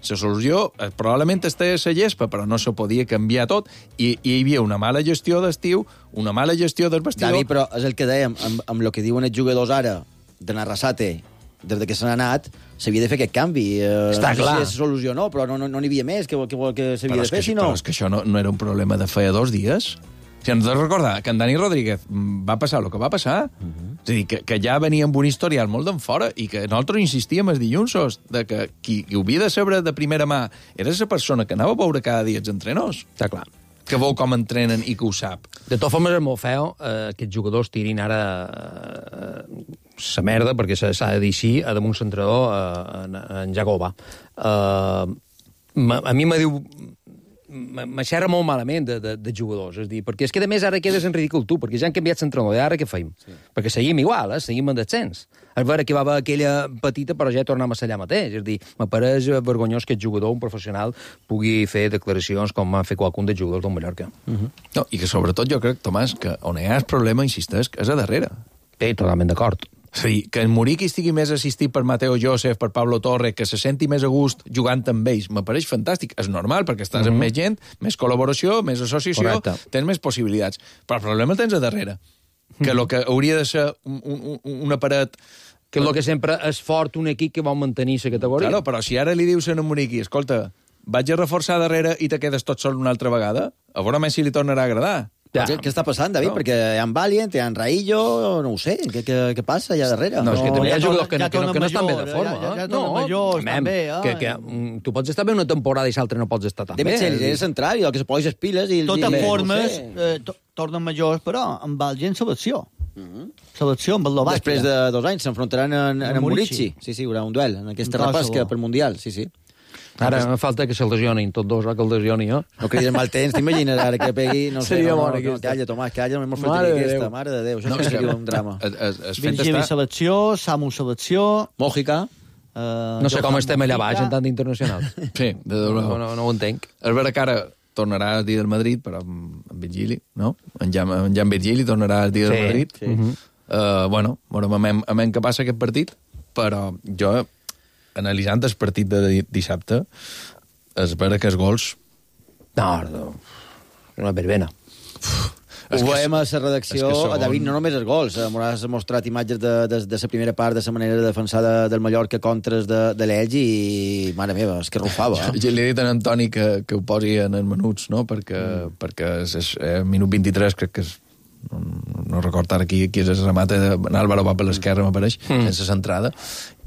La solució probablement està a la gespa, però no se podia canviar tot. I hi havia una mala gestió d'estiu, una mala gestió del vestidor... David, però és el que dèiem, amb el que diuen els jugadors ara, de Narrasate, des que se n'ha anat, s'havia de fer aquest canvi. Està clar. No sé si és solució o no, però no n'hi havia més que s'havia de fer, si no... Però és que això no era un problema de feia 2 dies. Si ens has de recordar que en Dani Rodríguez va passar el que va passar, és a dir, que ja venia amb un historial molt d'en fora i que nosaltres insistíem els dilluns de que qui ho havia de saber de primera mà era la persona que anava a veure cada dia els entrenadors. Està clar. Que veu com entrenen i que ho sap. De totes formes, és molt feo que els jugadors tirin ara la merda, perquè s'ha de dir així, a damunt l'entrenador, en Jacoba. A mi me diu... M'aixerra molt malament de jugadors, és dir, perquè és que a més ara quedes en ridícul tu, perquè ja han canviat l'entrenador, i ara què feim? Sí. Perquè seguim igual, seguim en descens. A veure que va haver aquella petita, però ja tornem a ser allà mateix, és dir, m'apareix vergonyós que el jugador, un professional, pugui fer declaracions com ha fet qualcun dels jugadors del Mallorca. No, i que sobretot jo crec, Tomàs, que on hi ha el problema, insisteix, és a darrere. Totalment d'acord. És a dir, que en Muriqui estigui més assistit per Mateo Joseph, per Pablo Torre, que se senti més a gust jugant amb ells, m'apareix fantàstic. És normal, perquè estàs amb més gent, més col·laboració, més associació, tens més possibilitats. Però el problema el tens a darrere. Que el que hauria de ser una paret... Que el que sempre és fort un equip que vol mantenir la categoria. Claro, però si ara li dius a en Muriqui, escolta, vaig a reforçar darrere i te quedes tot sol una altra vegada, a veure més si li tornarà a agradar. Què està passant, David? Perquè hi ha en Valiant, hi ha en Raillo, no ho sé, què passa allà darrere? No, és que també hi ha jugadors que no estan bé de forma. Ja tornen majors, també. Que tu pots estar bé una temporada i l'altre no pots estar tan bé. De Mitchell és central, i el que se posa les piles... De totes formes, tornen majors, però amb el gent selecció. Selecció amb el Eslovàquia. Després de 2 anys s'enfrontaran en Murici. Sí, hi haurà un duel en aquesta repesca per Mundial, sí. Ara falta que se lesionin tots dos, que el lesioni, no? No cridis mal temps, t'imagines ara que pegui... No sé, calla, Tomàs, calla, no m'ho fot aquesta, mare de Déu, això seria un drama. Virgili selecció, Samu selecció... Mòjica... No sé com estem allà baix en tant internacional. Sí, de debò. No ho entenc. És vera que ara tornarà el dia del Madrid, però amb Virgili, no? En Jan Virgili tornarà el dia del Madrid. Bueno, veurem què passa aquest partit, però jo... analitzant el partit de dissabte, és vera que els gols... No, una verbena. Ho veiem a la redacció, David, no només els gols. Has mostrat imatges de la primera part, de la manera de defensar del Mallorca contres de l'Elx i, mare meva, és que rufava. Li he dit a Antoni que ho posi en els menuts, no? Perquè és minut 23, crec que és... No recordo ara qui és el remate d'Àlvaro va per l'esquerra, m'apareix, sense centrada,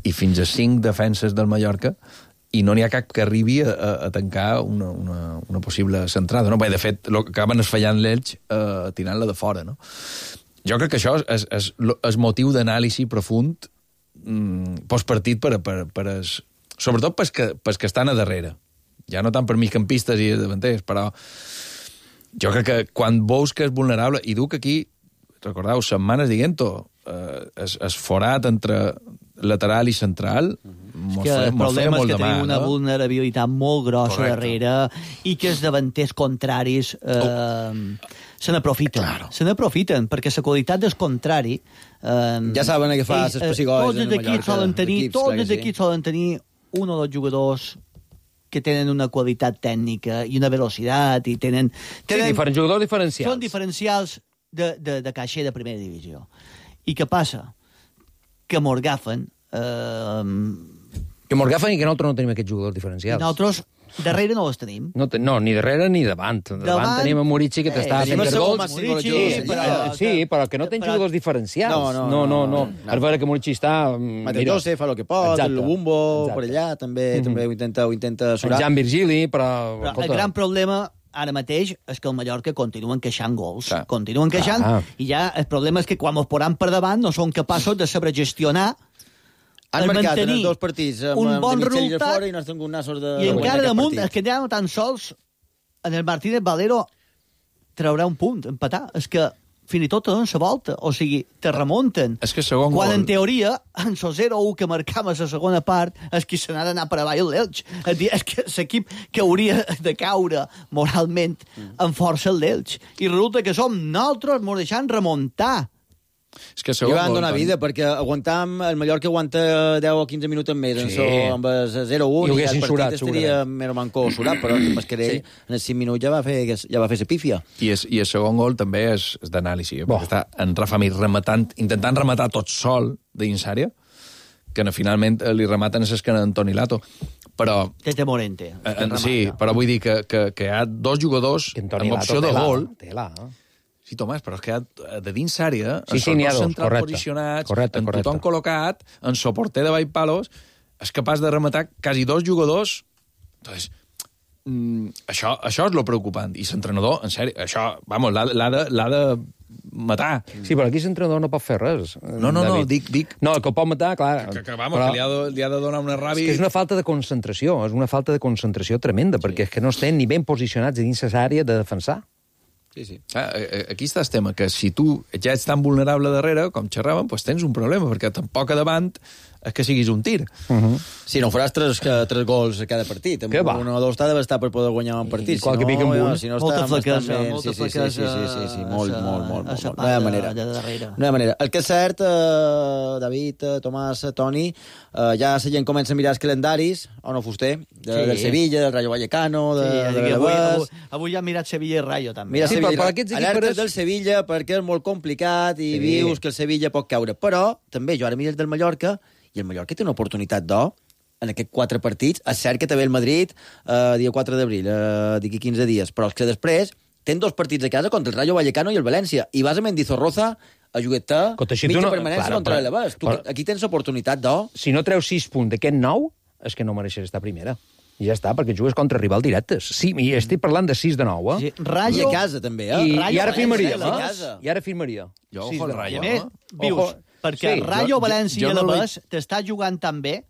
i fins a 5 defenses del Mallorca, i no n'hi ha cap que arribi a tancar una possible centrada. No? Bé, de fet, acaben esfallant l'Elx tirant-la de fora. No? Jo crec que això és motiu d'anàlisi profund postpartit sobretot pels que estan a darrere. Ja no tant per migcampistes i davanters, però jo crec que quan veus que és vulnerable, i duc aquí, recordeu, setmanes dient-ho, és forat entre lateral i central, és que el problema és que tenim una vulnerabilitat molt grossa darrere i que els davanters contraris se n'aprofiten. Claro. Se n'aprofiten, perquè la qualitat del contrari... ja saben què fa les pessigolles en el Mallorca. Tots els equips solen tenir un o dos jugadors que tenen una qualitat tècnica i una velocitat i tenen diferents jugadors diferencials. Són diferencials de caixer de primera divisió. I què passa? Que morgafen... Que morgafen i que nosaltres no tenim aquests jugadors diferencials. Nosaltres darrere no els tenim. No, ni darrere ni davant. Davant tenim a Murici, que t'està fent gols. Sí, però que no tens jugadors diferencials. No. A veure que Murici està... Mateo Joseph fa el que pot, el Lubumbo per allà també ho intenta surar. Jan Virgili, però... El gran problema ara mateix és que el Mallorca continua encaixant gols. Continua encaixant, i ja el problema és que quan ens poran per davant no són capaços de saber gestionar han marcat en els dos partits un bon resultat fora i no has tingut nassos de i encara damunt és que ja no tan sols en el Martínez Valero traurà un punt, empatar. És que fins i tot donen la volta, o sigui, te remunten. És que segon quan gol... en teoria, en el 0-1 que marcam a la segona part, és que se n'ha d'anar per avall l'Elx. És que l'equip que hauria de caure moralment en força el d'Elx. I resulta que som nosaltres, ens deixant remuntar. És que I van donar vida, perquè aguantam, el Mallorca aguanta 10 o 15 minuts més amb el 0-1 i el partit estaria més o mancó surat, però el Mascarell en els 5 minuts ja va fer la pífia. I el segon gol també és d'anàlisi, perquè està en Rafa Mir intentant rematar tot sol dins àrea, que finalment li rematen a l'esquena d'Antoni Lato. Però... Tete Morente. Sí, però vull dir que hi ha dos jugadors amb opció de gol... Sí, Tomàs, però és que de dins àrea, en dos centrals posicionats, en tothom col·locat, en soporter de palos, és capaç de rematar quasi dos jugadors. Entonces, això és lo preocupant. I l'entrenador, en sèrio, això, vamos, l'ha de matar. Sí, però aquí l'entrenador no pot fer res. No, dic... No, que ho pot matar, clar. Que li ha de donar una ràbia... És que és una falta de concentració, tremenda, perquè és que no estem ni ben posicionats dins l'àrea de defensar. Sí. Aquí està el tema, que si tu ja ets tan vulnerable darrere, com xerràvem, doncs tens un problema, perquè tampoc a davant és que siguis un tir. Sí, no faràs tres gols a cada partit. Amb un o dos t'ha d'estar per poder guanyar un partit. Qualque pic amb un. Molta flaquesa. Sí, molt. No hi ha manera. El que és cert, David, Tomàs, Toni, ja la gent comença a mirar els calendaris, o no, Fuster, del Sevilla, del Rayo Vallecano, avui ja ha mirat Sevilla i Rayo, també. Alertes del Sevilla, perquè és molt complicat i vius que el Sevilla pot caure. Però, també, jo ara mires del Mallorca, i el Mallorca té una oportunitat d'or en aquests 4 partits. És cert que també el Madrid, dia 4 d'abril, d'aquí 15 dies, però és que després tens 2 partits a casa contra el Rayo Vallecano i el València, i vas a Mendizorroza a jugar-te mitja permanència contra l'Elevés. Aquí tens oportunitat d'or. Si no treus 6 punts d'aquest 9, és que no mereixes estar primera. I ja està, perquè jugues contra rival directes. Sí, i estic parlant de 6 de 9, I a casa, també, I ara firmaria. Jo, ojo al Rayo. Vius, perquè Rayo, València i Alavés t'està jugant també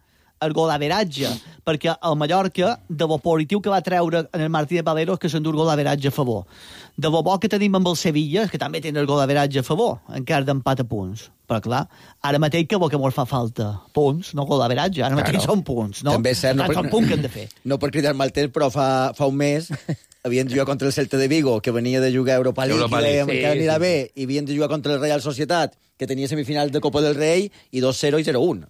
el golaveratge, perquè el Mallorca, de bo positiu que va treure en el Martínez Valero, és que s'endú el golaveratge a favor. De bo que tenim amb el Sevilla, que també tenen el golaveratge a favor, encara d'empat a punts. Però clar, ara mateix que ens fa falta punts, no golaveratge, ara mateix són punts, no? També és cert, són punts que hem de fer. No per cridar mal temps, però fa un mes havien de jugar contra el Celta de Vigo, que venia de jugar a Europa League, i encara anirà bé, i havien de jugar contra el Real Societat, que tenia semifinal de Copa del Rei, i 2-0 i 0-1.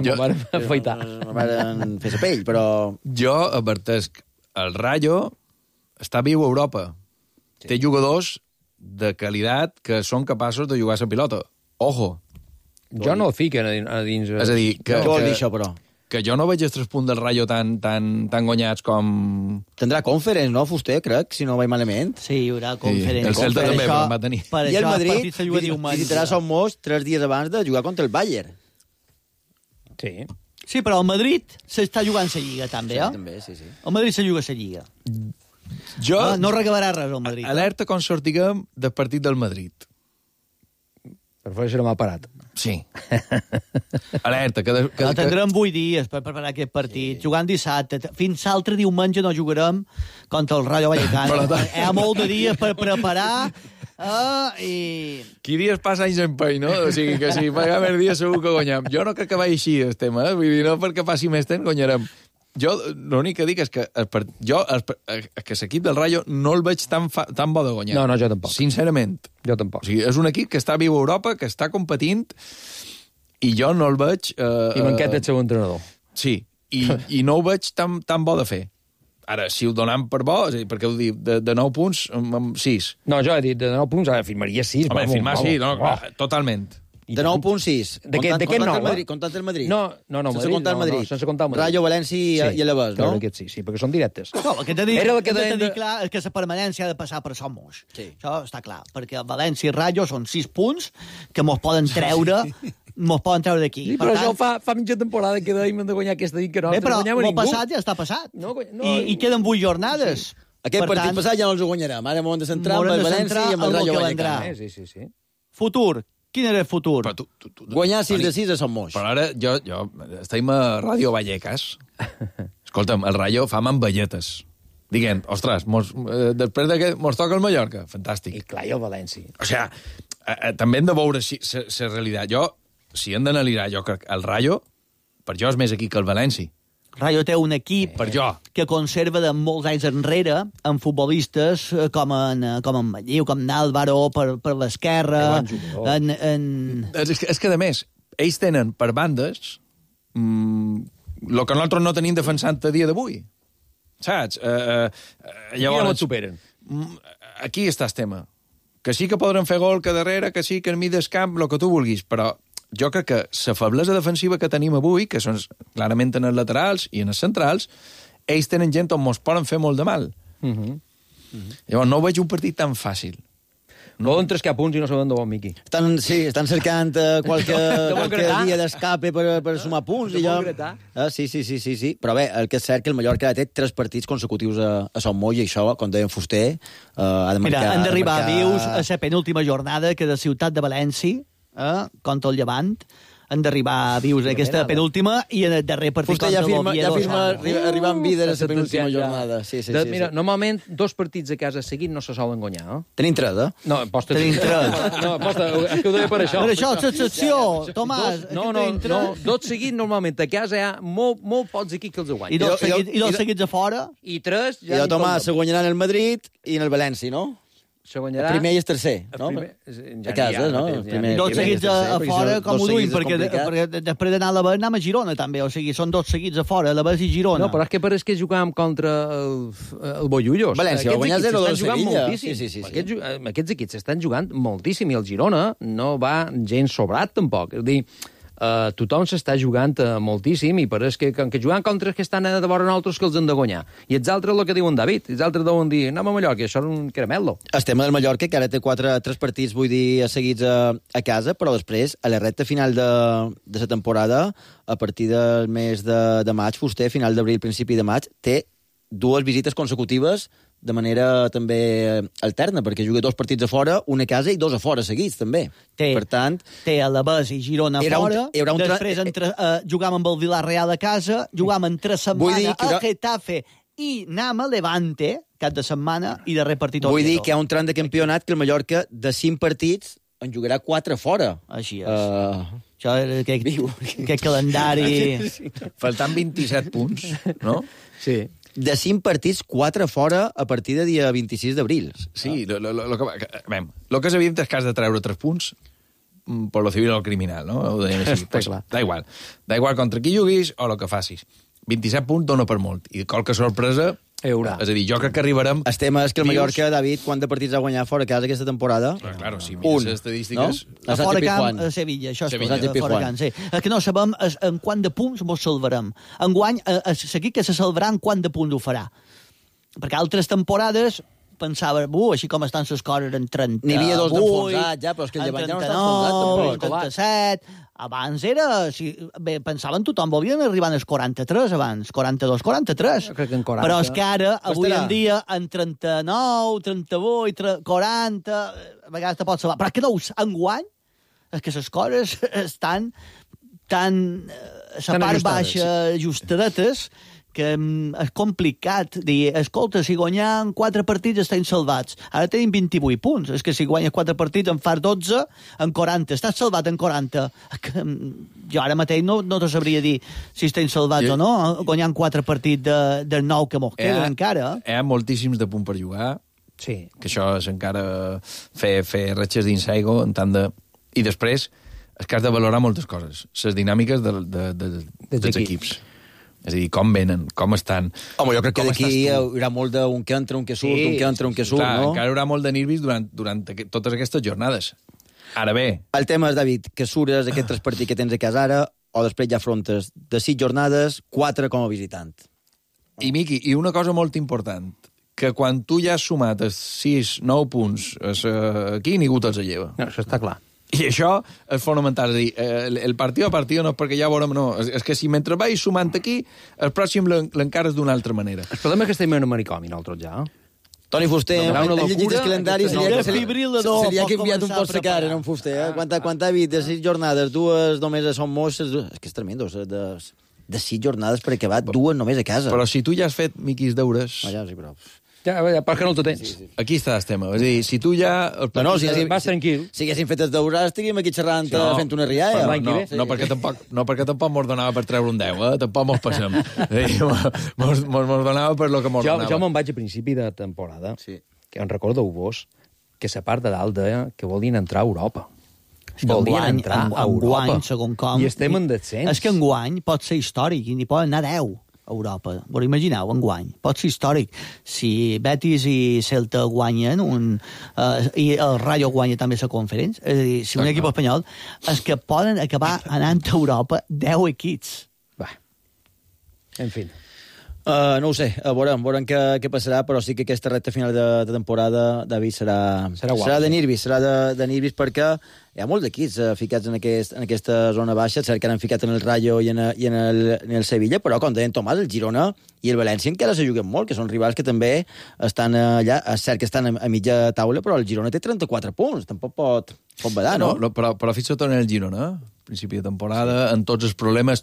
Jo van afaitar. Van fer la pell, però... Jo advertesc, el Rayo està viu a Europa. Té jugadors de qualitat que són capaços de jugar a la pilota. Ojo. Jo no el fiquen a dins... És a dir, què vol dir això, però? Que jo no veig els 3 punts del Rayo tan guanyats com... Tindrà Conference, no, Fuster, crec, si no vaig malament? Sí, hi haurà Conference. El Celta també va tenir. I el Madrid visitarà Son Moix 3 dies abans de jugar contra el Bayern. Sí, però el Madrid s'està jugant la Lliga, també, També, sí. El Madrid se juga a la Lliga. No regalarà res, el Madrid. Alerta com sortiguem del partit del Madrid. Per fer serà mal parat. Sí. Alerta. Tindrem 8 dies per preparar aquest partit, jugant dissabte. Fins l'altre diumenge no jugarem contra el Rayo Vallecano. Hi ha molt de dies per preparar i... Qui dies passa anys en pell, no? O sigui que si paga més dies segur que guanyem. Jo no crec que vagi així el tema, Vull dir, no perquè passi més temps guanyarem. Jo l'únic que dic és que l'equip del Rayo no el veig tan bo de guanyar. No, jo tampoc. Sincerament. Jo tampoc. O sigui, és un equip que està viu a Europa, que està competint, i jo no el veig... I manquet el seu entrenador. Sí, i no ho veig tan bo de fer. Ara, si ho donem per bo, és a dir, perquè ho dic, de 9 punts, amb 6. No, jo he dit de 9 punts, firmaria 6. Home, firmar sí, totalment. De 9.6. De què 9? Comptant el Madrid. No, sense comptar el Madrid. Sense comptar el Madrid. Rayo, València i Alavés, no? Sí, perquè són directes. No, el que t'he dit clar és que la permanència ha de passar per Son Moix. Això està clar, perquè València i Rayo són 6 punts que mos poden treure d'aquí. Sí, però això fa mitja temporada que dèiem de guanyar aquesta dic que no. Bé, però el passat ja està passat. I queden 8 jornades. Aquest partit passat ja no els guanyarem. Ara m'ho hem de centrar amb el València i amb el Rayo Vallecano. Sí. Futur. Quin era el futur? Guanyar 6 de 6 a Son Moix. Però ara jo estem a Ràdio Vallecas. Escolta'm, el Rayo fa mamballetes. Diguem, ostres, després que mos toca el Mallorca. Fantàstic. I clar, i el València. O sea, també hem de veure si la realitat. Si hem d'analitzar, jo crec que el Rayo, per jo, és més aquí que el València. Rayo té un equip que conserva de molts anys enrere amb futbolistes com en Matlleu, com Nàlvaro per l'esquerra. És que, a més, ells tenen per bandes el que nosaltres no tenim defensant a dia d'avui. Saps? Llavors, no et superen. Aquí està el tema. Que sí que podran fer gol que darrere, que sí que en mig del camp, el que tu vulguis, però jo crec que la feblesa defensiva que tenim avui, que són clarament en els laterals i en els centrals, ells tenen gent on mos poden fer molt de mal. Llavors no veig un partit tan fàcil. Poden trescar punts i no saben d'on, Miqui. Estan cercant qualque dia d'escape per sumar punts. Sí. Però bé, el que és cert que el Mallorca té 3 partits consecutius a Son Moix i això, com deia en Fuster, ha de marcar... Mira, han d'arribar vius a la penúltima jornada que de Ciutat de València, contra el Llevant, han d'arribar vius aquesta penúltima i en el darrer partit contra l'Oviedo. Ja firma arribar amb vida a la penúltima jornada. Sí. Mira, normalment 2 partits a casa seguit no se solen guanyar. Tenim 3, No, posta... Tenim 3. No, posta, és que ho deia per això. Per això, l'excepció, Tomàs. No, 2 seguits normalment a casa hi ha molt pocs equips que els guanyen. I 2 seguits a fora? I 3... I el Tomàs se guanyaran el Madrid i en el València, no? El primer i el tercer, no? A casa, no? Dos seguits a fora, com ho duim, perquè després d'anar a l'Avés anem a Girona, també. O sigui, són 2 seguits a fora, l'Avés i Girona. No, però és que pareix que jugàvem contra el Bollullos. València, va guanyar 0-2 Sevilla. Sí. Aquests equips estan jugant moltíssim, i el Girona no va gens sobrat, tampoc. És a dir, tothom s'està jugant moltíssim i pareix que jugant contra els que estan a vora nosaltres que els han de guanyar. I els altres el que diuen David, els altres deuen dir anem a Mallorca, això és un caramel·lo. El tema del Mallorca, que ara té 3 partits, vull dir, seguits a casa, però després, a la recta final de la temporada, a partir del mes de maig, Fuster, final d'abril, principi de maig, té 2 visites consecutives de manera també alterna, perquè juga 2 partits a fora, una a casa i 2 a fora seguits, també. Per tant... Té l'Avés i Girona a fora, després jugam amb el Villarreal a casa, jugam entre setmana a Getafe i anem a Levante, cap de setmana, i darrer partit Vull dir que hi ha un tram de campionat que el Mallorca, de 5 partits, en jugarà 4 fora. Així és. Això és aquest calendari... Faltant 27 punts, no? Sí. De 5 partits, 4 fora a partir de dia 26 d'abril. Sí, el que és evident és que has de treure 3 punts per lo civil o el criminal, no? Ho deien així. Pues, da igual contra qui juguis o el que facis. 27 punts dona per molt. I qualque sorpresa... Haurà. És a dir, jo crec que arribarem... El tema és que el Mallorca, David, quant de partits ha guanyat fora casa aquesta temporada? Claro, si mires les estadístiques... A fora camp, a Sevilla, això és fora camp, sí. El que no sabem és en quant de punts mos salvarem. Enguany, seguir que se salvarà en quant de punts ho farà. Perquè altres temporades pensava, així com estan les coses en 38... N'hi havia 2 d'enfonsats, ja, però és que el Llevant ja no està enfonsat, tampoc. 37... Abans era... Bé, pensaven tothom, volien arribar als 43 abans, 42, 43. Jo crec que en 40. Però és que ara, avui en dia, en 39, 38, 40... A vegades te pots salvar. Però és que no, enguany, és que les coses estan tan... la part baixa, ajustadetes, que és complicat dir, escolta, si guanyem 4 partits estem salvats. Ara tenim 28 punts. És que si guanyes 4 partits en fas 12, en 40. Estàs salvat en 40. Jo ara mateix no te sabria dir si estem salvats o no, guanyant 4 partits del 9 que mos queden encara. Hi ha moltíssims de punt per jugar. Sí. Que això és encara fer ratxes d'insaigo en tant de... I després és que has de valorar moltes coses. Les dinàmiques dels equips. És a dir, com venen, com estan... Home, jo crec que d'aquí hi haurà molt d'un que entra, un que surt, un que entra, un que surt, no? Encara hi haurà molt de nervis durant totes aquestes jornades. Ara bé... El tema és, David, que sures aquest 3 partits que tens a casa ara, o després ja afrontes de 6 jornades, 4 com a visitant. I, Miqui, i una cosa molt important, que quan tu ja has sumat 6-9 punts aquí, ningú te'ls lleva. No, això està clar. I això és fonamental, és a dir, el partit a partit no és perquè ja veurem, no, és que si mentre vais sumant aquí, el pròxim l'encares d'una altra manera. El problema és que estem en un manicomi, nosaltres ja. Toni Fuster, en llegit el calendari, seria que enviat un postrecar en Fuster. Quant ha vist de 6 jornades, 2 només són molts... És que és tremendo, de 6 jornades per acabar, 2 només a casa. Però si tu ja has fet miquis deures... Ja, sí, però... Ja, perquè no el tens. Sí. Aquí està el tema. És a dir, si tu ja... Vas tranquil. Si haguéssim fet els deures, estaríem aquí xerrant, fent una rialla. No, perquè tampoc mos donava per treure un 10, tampoc mos passem. Mos donava per lo que mos donava. Jo me'n vaig a principi de temporada, que en recordeu-vos, que la part de dalt deia que volien entrar a Europa. Volien entrar a Europa. Enguany, segon com... I estem en descens. És que enguany pot ser històric i n'hi poden anar 10 a Europa. Vos imagineu, enguany. Pot ser històric. Si Betis i Celta guanyen i el Rayo guanya també la conferència, és a dir, si un equip espanyol, és que poden acabar anant a Europa 10 equips. Va. En fi. No ho sé, veurem què passarà, però sí que aquesta recta final de temporada, David, serà de nervis perquè hi ha molts equips ficats en aquesta zona baixa, cert que han ficat en el Rayo i en el Sevilla, però com deien Tomàs, el Girona i el València encara se juguen molt, que són rivals que també estan allà, és cert que estan a mitja taula, però el Girona té 34 punts, tampoc pot badar, no? Però fins i tot en el Girona, principi de temporada, en tots els problemes,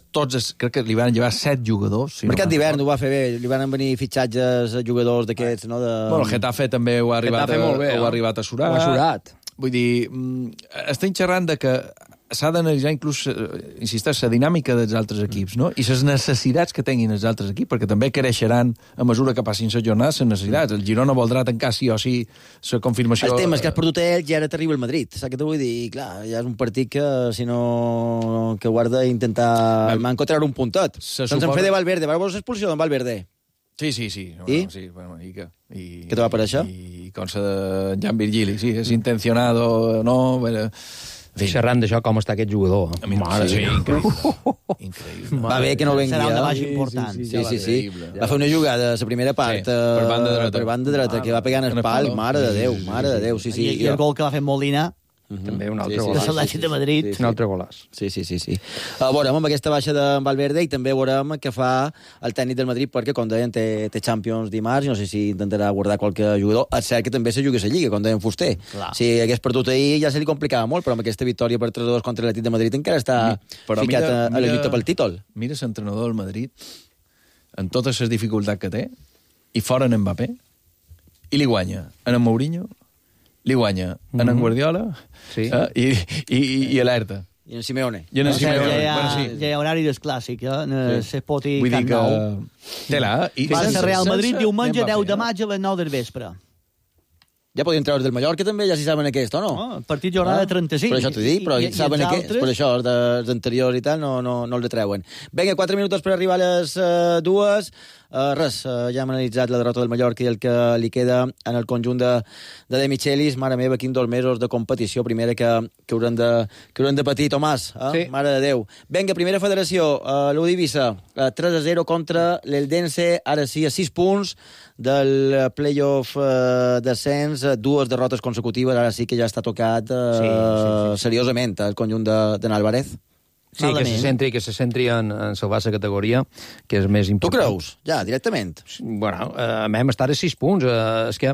crec que li van llevar 7 jugadors. Mercat d'hivern ho va fer bé, li van venir fitxatges a jugadors d'aquests, no? Bueno, el Getafe també ho ha arribat a surar. Ho ha surat. Vull dir, estem xerrant de que s'ha d'analitzar inclús, insisteix, la dinàmica dels altres equips, no? I les necessitats que tinguin els altres equips, perquè també creixeran a mesura que passin les jornades les necessitats. El Girona voldrà tancar sí o sí la confirmació... El tema és que has perdut ells i ara t'arriba el Madrid. Saps què t'ho vull dir? I clar, ja és un partit que, si no... que guarda intentar treure un puntet. Doncs en fe de Valverde. Veus l'expulsió d'en Valverde? Sí. I? Sí, bueno, Què te va per això? I consta de Jan Virgili, sí, és intencionado, no... Xerrant d'això, com està aquest jugador. Mare, sí, increïble. Va bé que no l'envia. Serà una baixa important. Sí. Va fer una jugada a la primera part per banda dreta, que va pegar en el pal. Mare de Déu, sí. I el gol que va fer Molina, també un altre golaç. De l'Atlètic de Madrid. Un altre golaç. Sí. Veurem amb aquesta baixa de Valverde i també veurem què fa el tècnic del Madrid, perquè, com deien, té Champions dimarts, no sé si intentarà guardar qualque jugador. És cert que també se juga a la Lliga, com deien Fuster. Clar. Si hagués perdut ahir ja se li complicava molt, però amb aquesta victòria per 3-2 contra l'Atlètic de Madrid encara està ficat a la lluita pel títol. Mira l'entrenador del Madrid, en totes les dificultats que té, i fora en Mbappé, i li guanya en Mourinho, li guanya en Guardiola i alerta. I en Simeone. Ja hi ha horari del clàssic, se pot ir Vull dir que... Tela, va ser Real Madrid diumenge 10 de maig a les 9 del vespre. Ja podien treure del Mallorca també, ja si saben aquest, o no? Partit jornada 35. Però això t'ho dic, però saben aquest, per això, els anteriors i tal, no els treuen. Vinga, 4 minuts per arribar a les 2. Ja hem analitzat la derrota del Mallorca i el que li queda en el conjunt de Michelis. Mare meva, quin 2 mesos de competició primera que haurem de patir, Tomàs. Sí. Mare de Déu. Vinga, primera federació, l'Udivisa, 3-0 contra l'Eldense, ara sí, a 6 punts del playoff descens, 2 derrotes consecutives, ara sí que ja està tocat seriosament el conjunt de Álvarez. Sí, que se centri en salvar la categoria, que és més important. Tu creus? Ja, directament? Bueno, vam estar a 6 punts. És que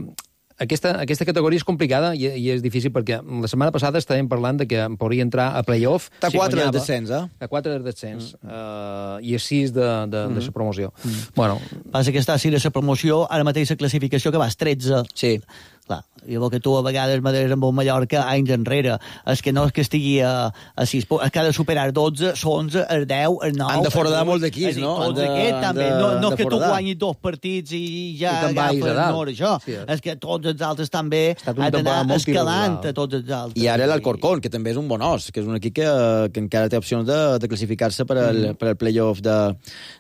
aquesta categoria és complicada i és difícil perquè la setmana passada estàvem parlant de que podria entrar a playoff. Està 4 del descens, A 4 del descens. I a 6 de la promoció. Bueno, passa que està a 6 de la promoció, ara mateix la classificació que vas 13. Sí. Clar, i el que tu a vegades m'adreces amb el Mallorca anys enrere, és que no és que estigui a 6 punts, és que ha de superar 12, 11, el 10, el 9... Han de foradar molts d'equips, no? Tots aquests també, no és que tu guanyis 2 partits i ja agafes nord, això. És que tots els altres també han d'anar escalant a tots els altres. I ara l'Alcorcón, que també és un bon os, que és un equip que encara té opcions de classificar-se per al playoff de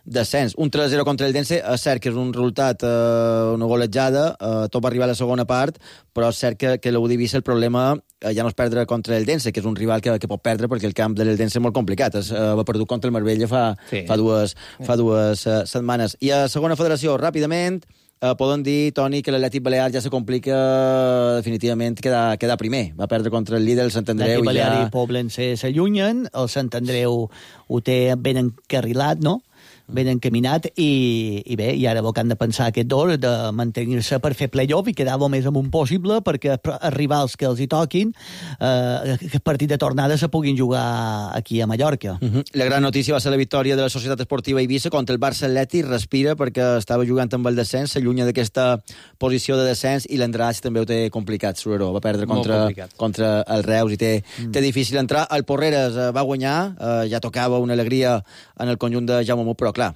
descens. Un 3-0 contra l'Eldense, és cert que és un resultat, una golejada, tot va arribar a la segona part, però és cert que l'Udivisa el problema ja no és perdre contra l'Eldense, que és un rival que pot perdre perquè el camp de l'Eldense és molt complicat. Va perdut contra el Marbella fa dues setmanes. I a segona federació, ràpidament, poden dir, Toni, que l'Atlètic Balear ja se complica definitivament quedar primer. Va perdre contra el líder, el Sant Andreu. L'Atlètic Balear i Poblense s'allunyen, el Sant Andreu ho té ben encarrilat, no? ben encaminat, i bé, i ara el que han de pensar aquest dos de mantenir-se per fer play-off i quedar-lo més amunt possible perquè els rivals que els hi toquin aquest partit de tornada se puguin jugar aquí a Mallorca. La gran notícia va ser la victòria de la Societat Esportiva Eivissa contra el Barça Atlètic. Respira perquè estava jugant amb el descens, s'allunya d'aquesta posició de descens, i l'Andratx també ho té complicat, Sureró. Va perdre contra el Reus i té difícil entrar. El Porreres va guanyar, ja tocava una alegria en el conjunt de Jaume Mut, però clar,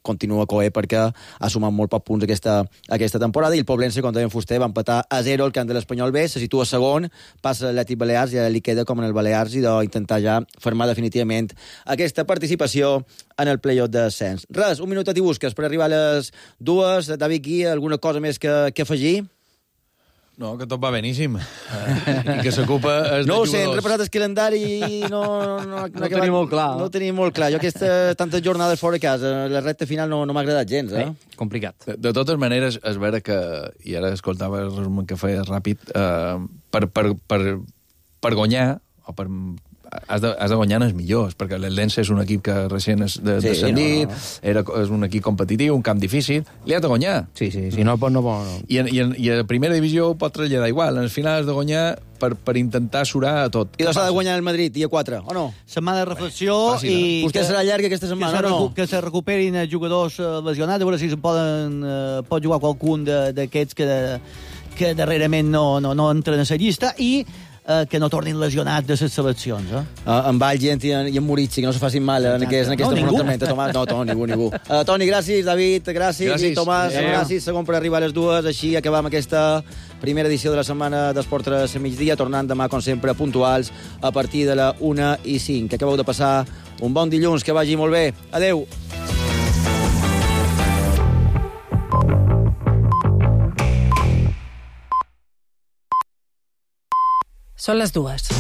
continua coer perquè ha sumat molt pocs punts aquesta temporada, i el Poblense contra en Fuster va empatar a 0 al camp de l'Espanyol B, se situa segon, passa l'Atlètic Balears i ja li queda com en el Balears i d'intentar ja fermar definitivament aquesta participació en el play-off d'ascens. Res, un minutet i busques per arribar a les 2. David Guia, alguna cosa més que afegir? No, que tot va beníssim. I que s'ocupa els no ho jugadors. sé, hem repassat el calendari i no tenim molt clar. No tenim molt clar. Jo aquestes tantes jornades fora de casa, la recta final no m'ha agradat gens, Complicat. De totes maneres, és vera que, i ara escoltava el resum que feia ràpid, per guanyar, o per... Has de guanyar els millors, perquè l'Eldense és un equip que recent és descendit, és un equip competitiu, un camp difícil, li has de guanyar. Sí, no pot. I a primera divisió ho pot traslladar igual, en el final has de guanyar per intentar surar a tot. I s'ha de guanyar el Madrid, dia 4, o no? Setmana de reflexió i... Vostè serà llarga aquesta setmana, no? Que se recuperin els jugadors lesionats, a veure si pot jugar qualcun d'aquests que darrerament no entren a la llista, i que no tornin lesionats de les seleccions. En Valgent i en Moritzi, que no se facin mal en aquest enfrontament. No, ningú. Toni, gràcies. David, gràcies. I Tomàs, gràcies. Segon per arribar a les 2. Així acabam aquesta primera edició de la setmana d'Esport 3 a migdia, tornant demà, com sempre, puntuals a partir de la 1:05. Que acabeu de passar un bon dilluns, que vagi molt bé. Adeu. Són les 2.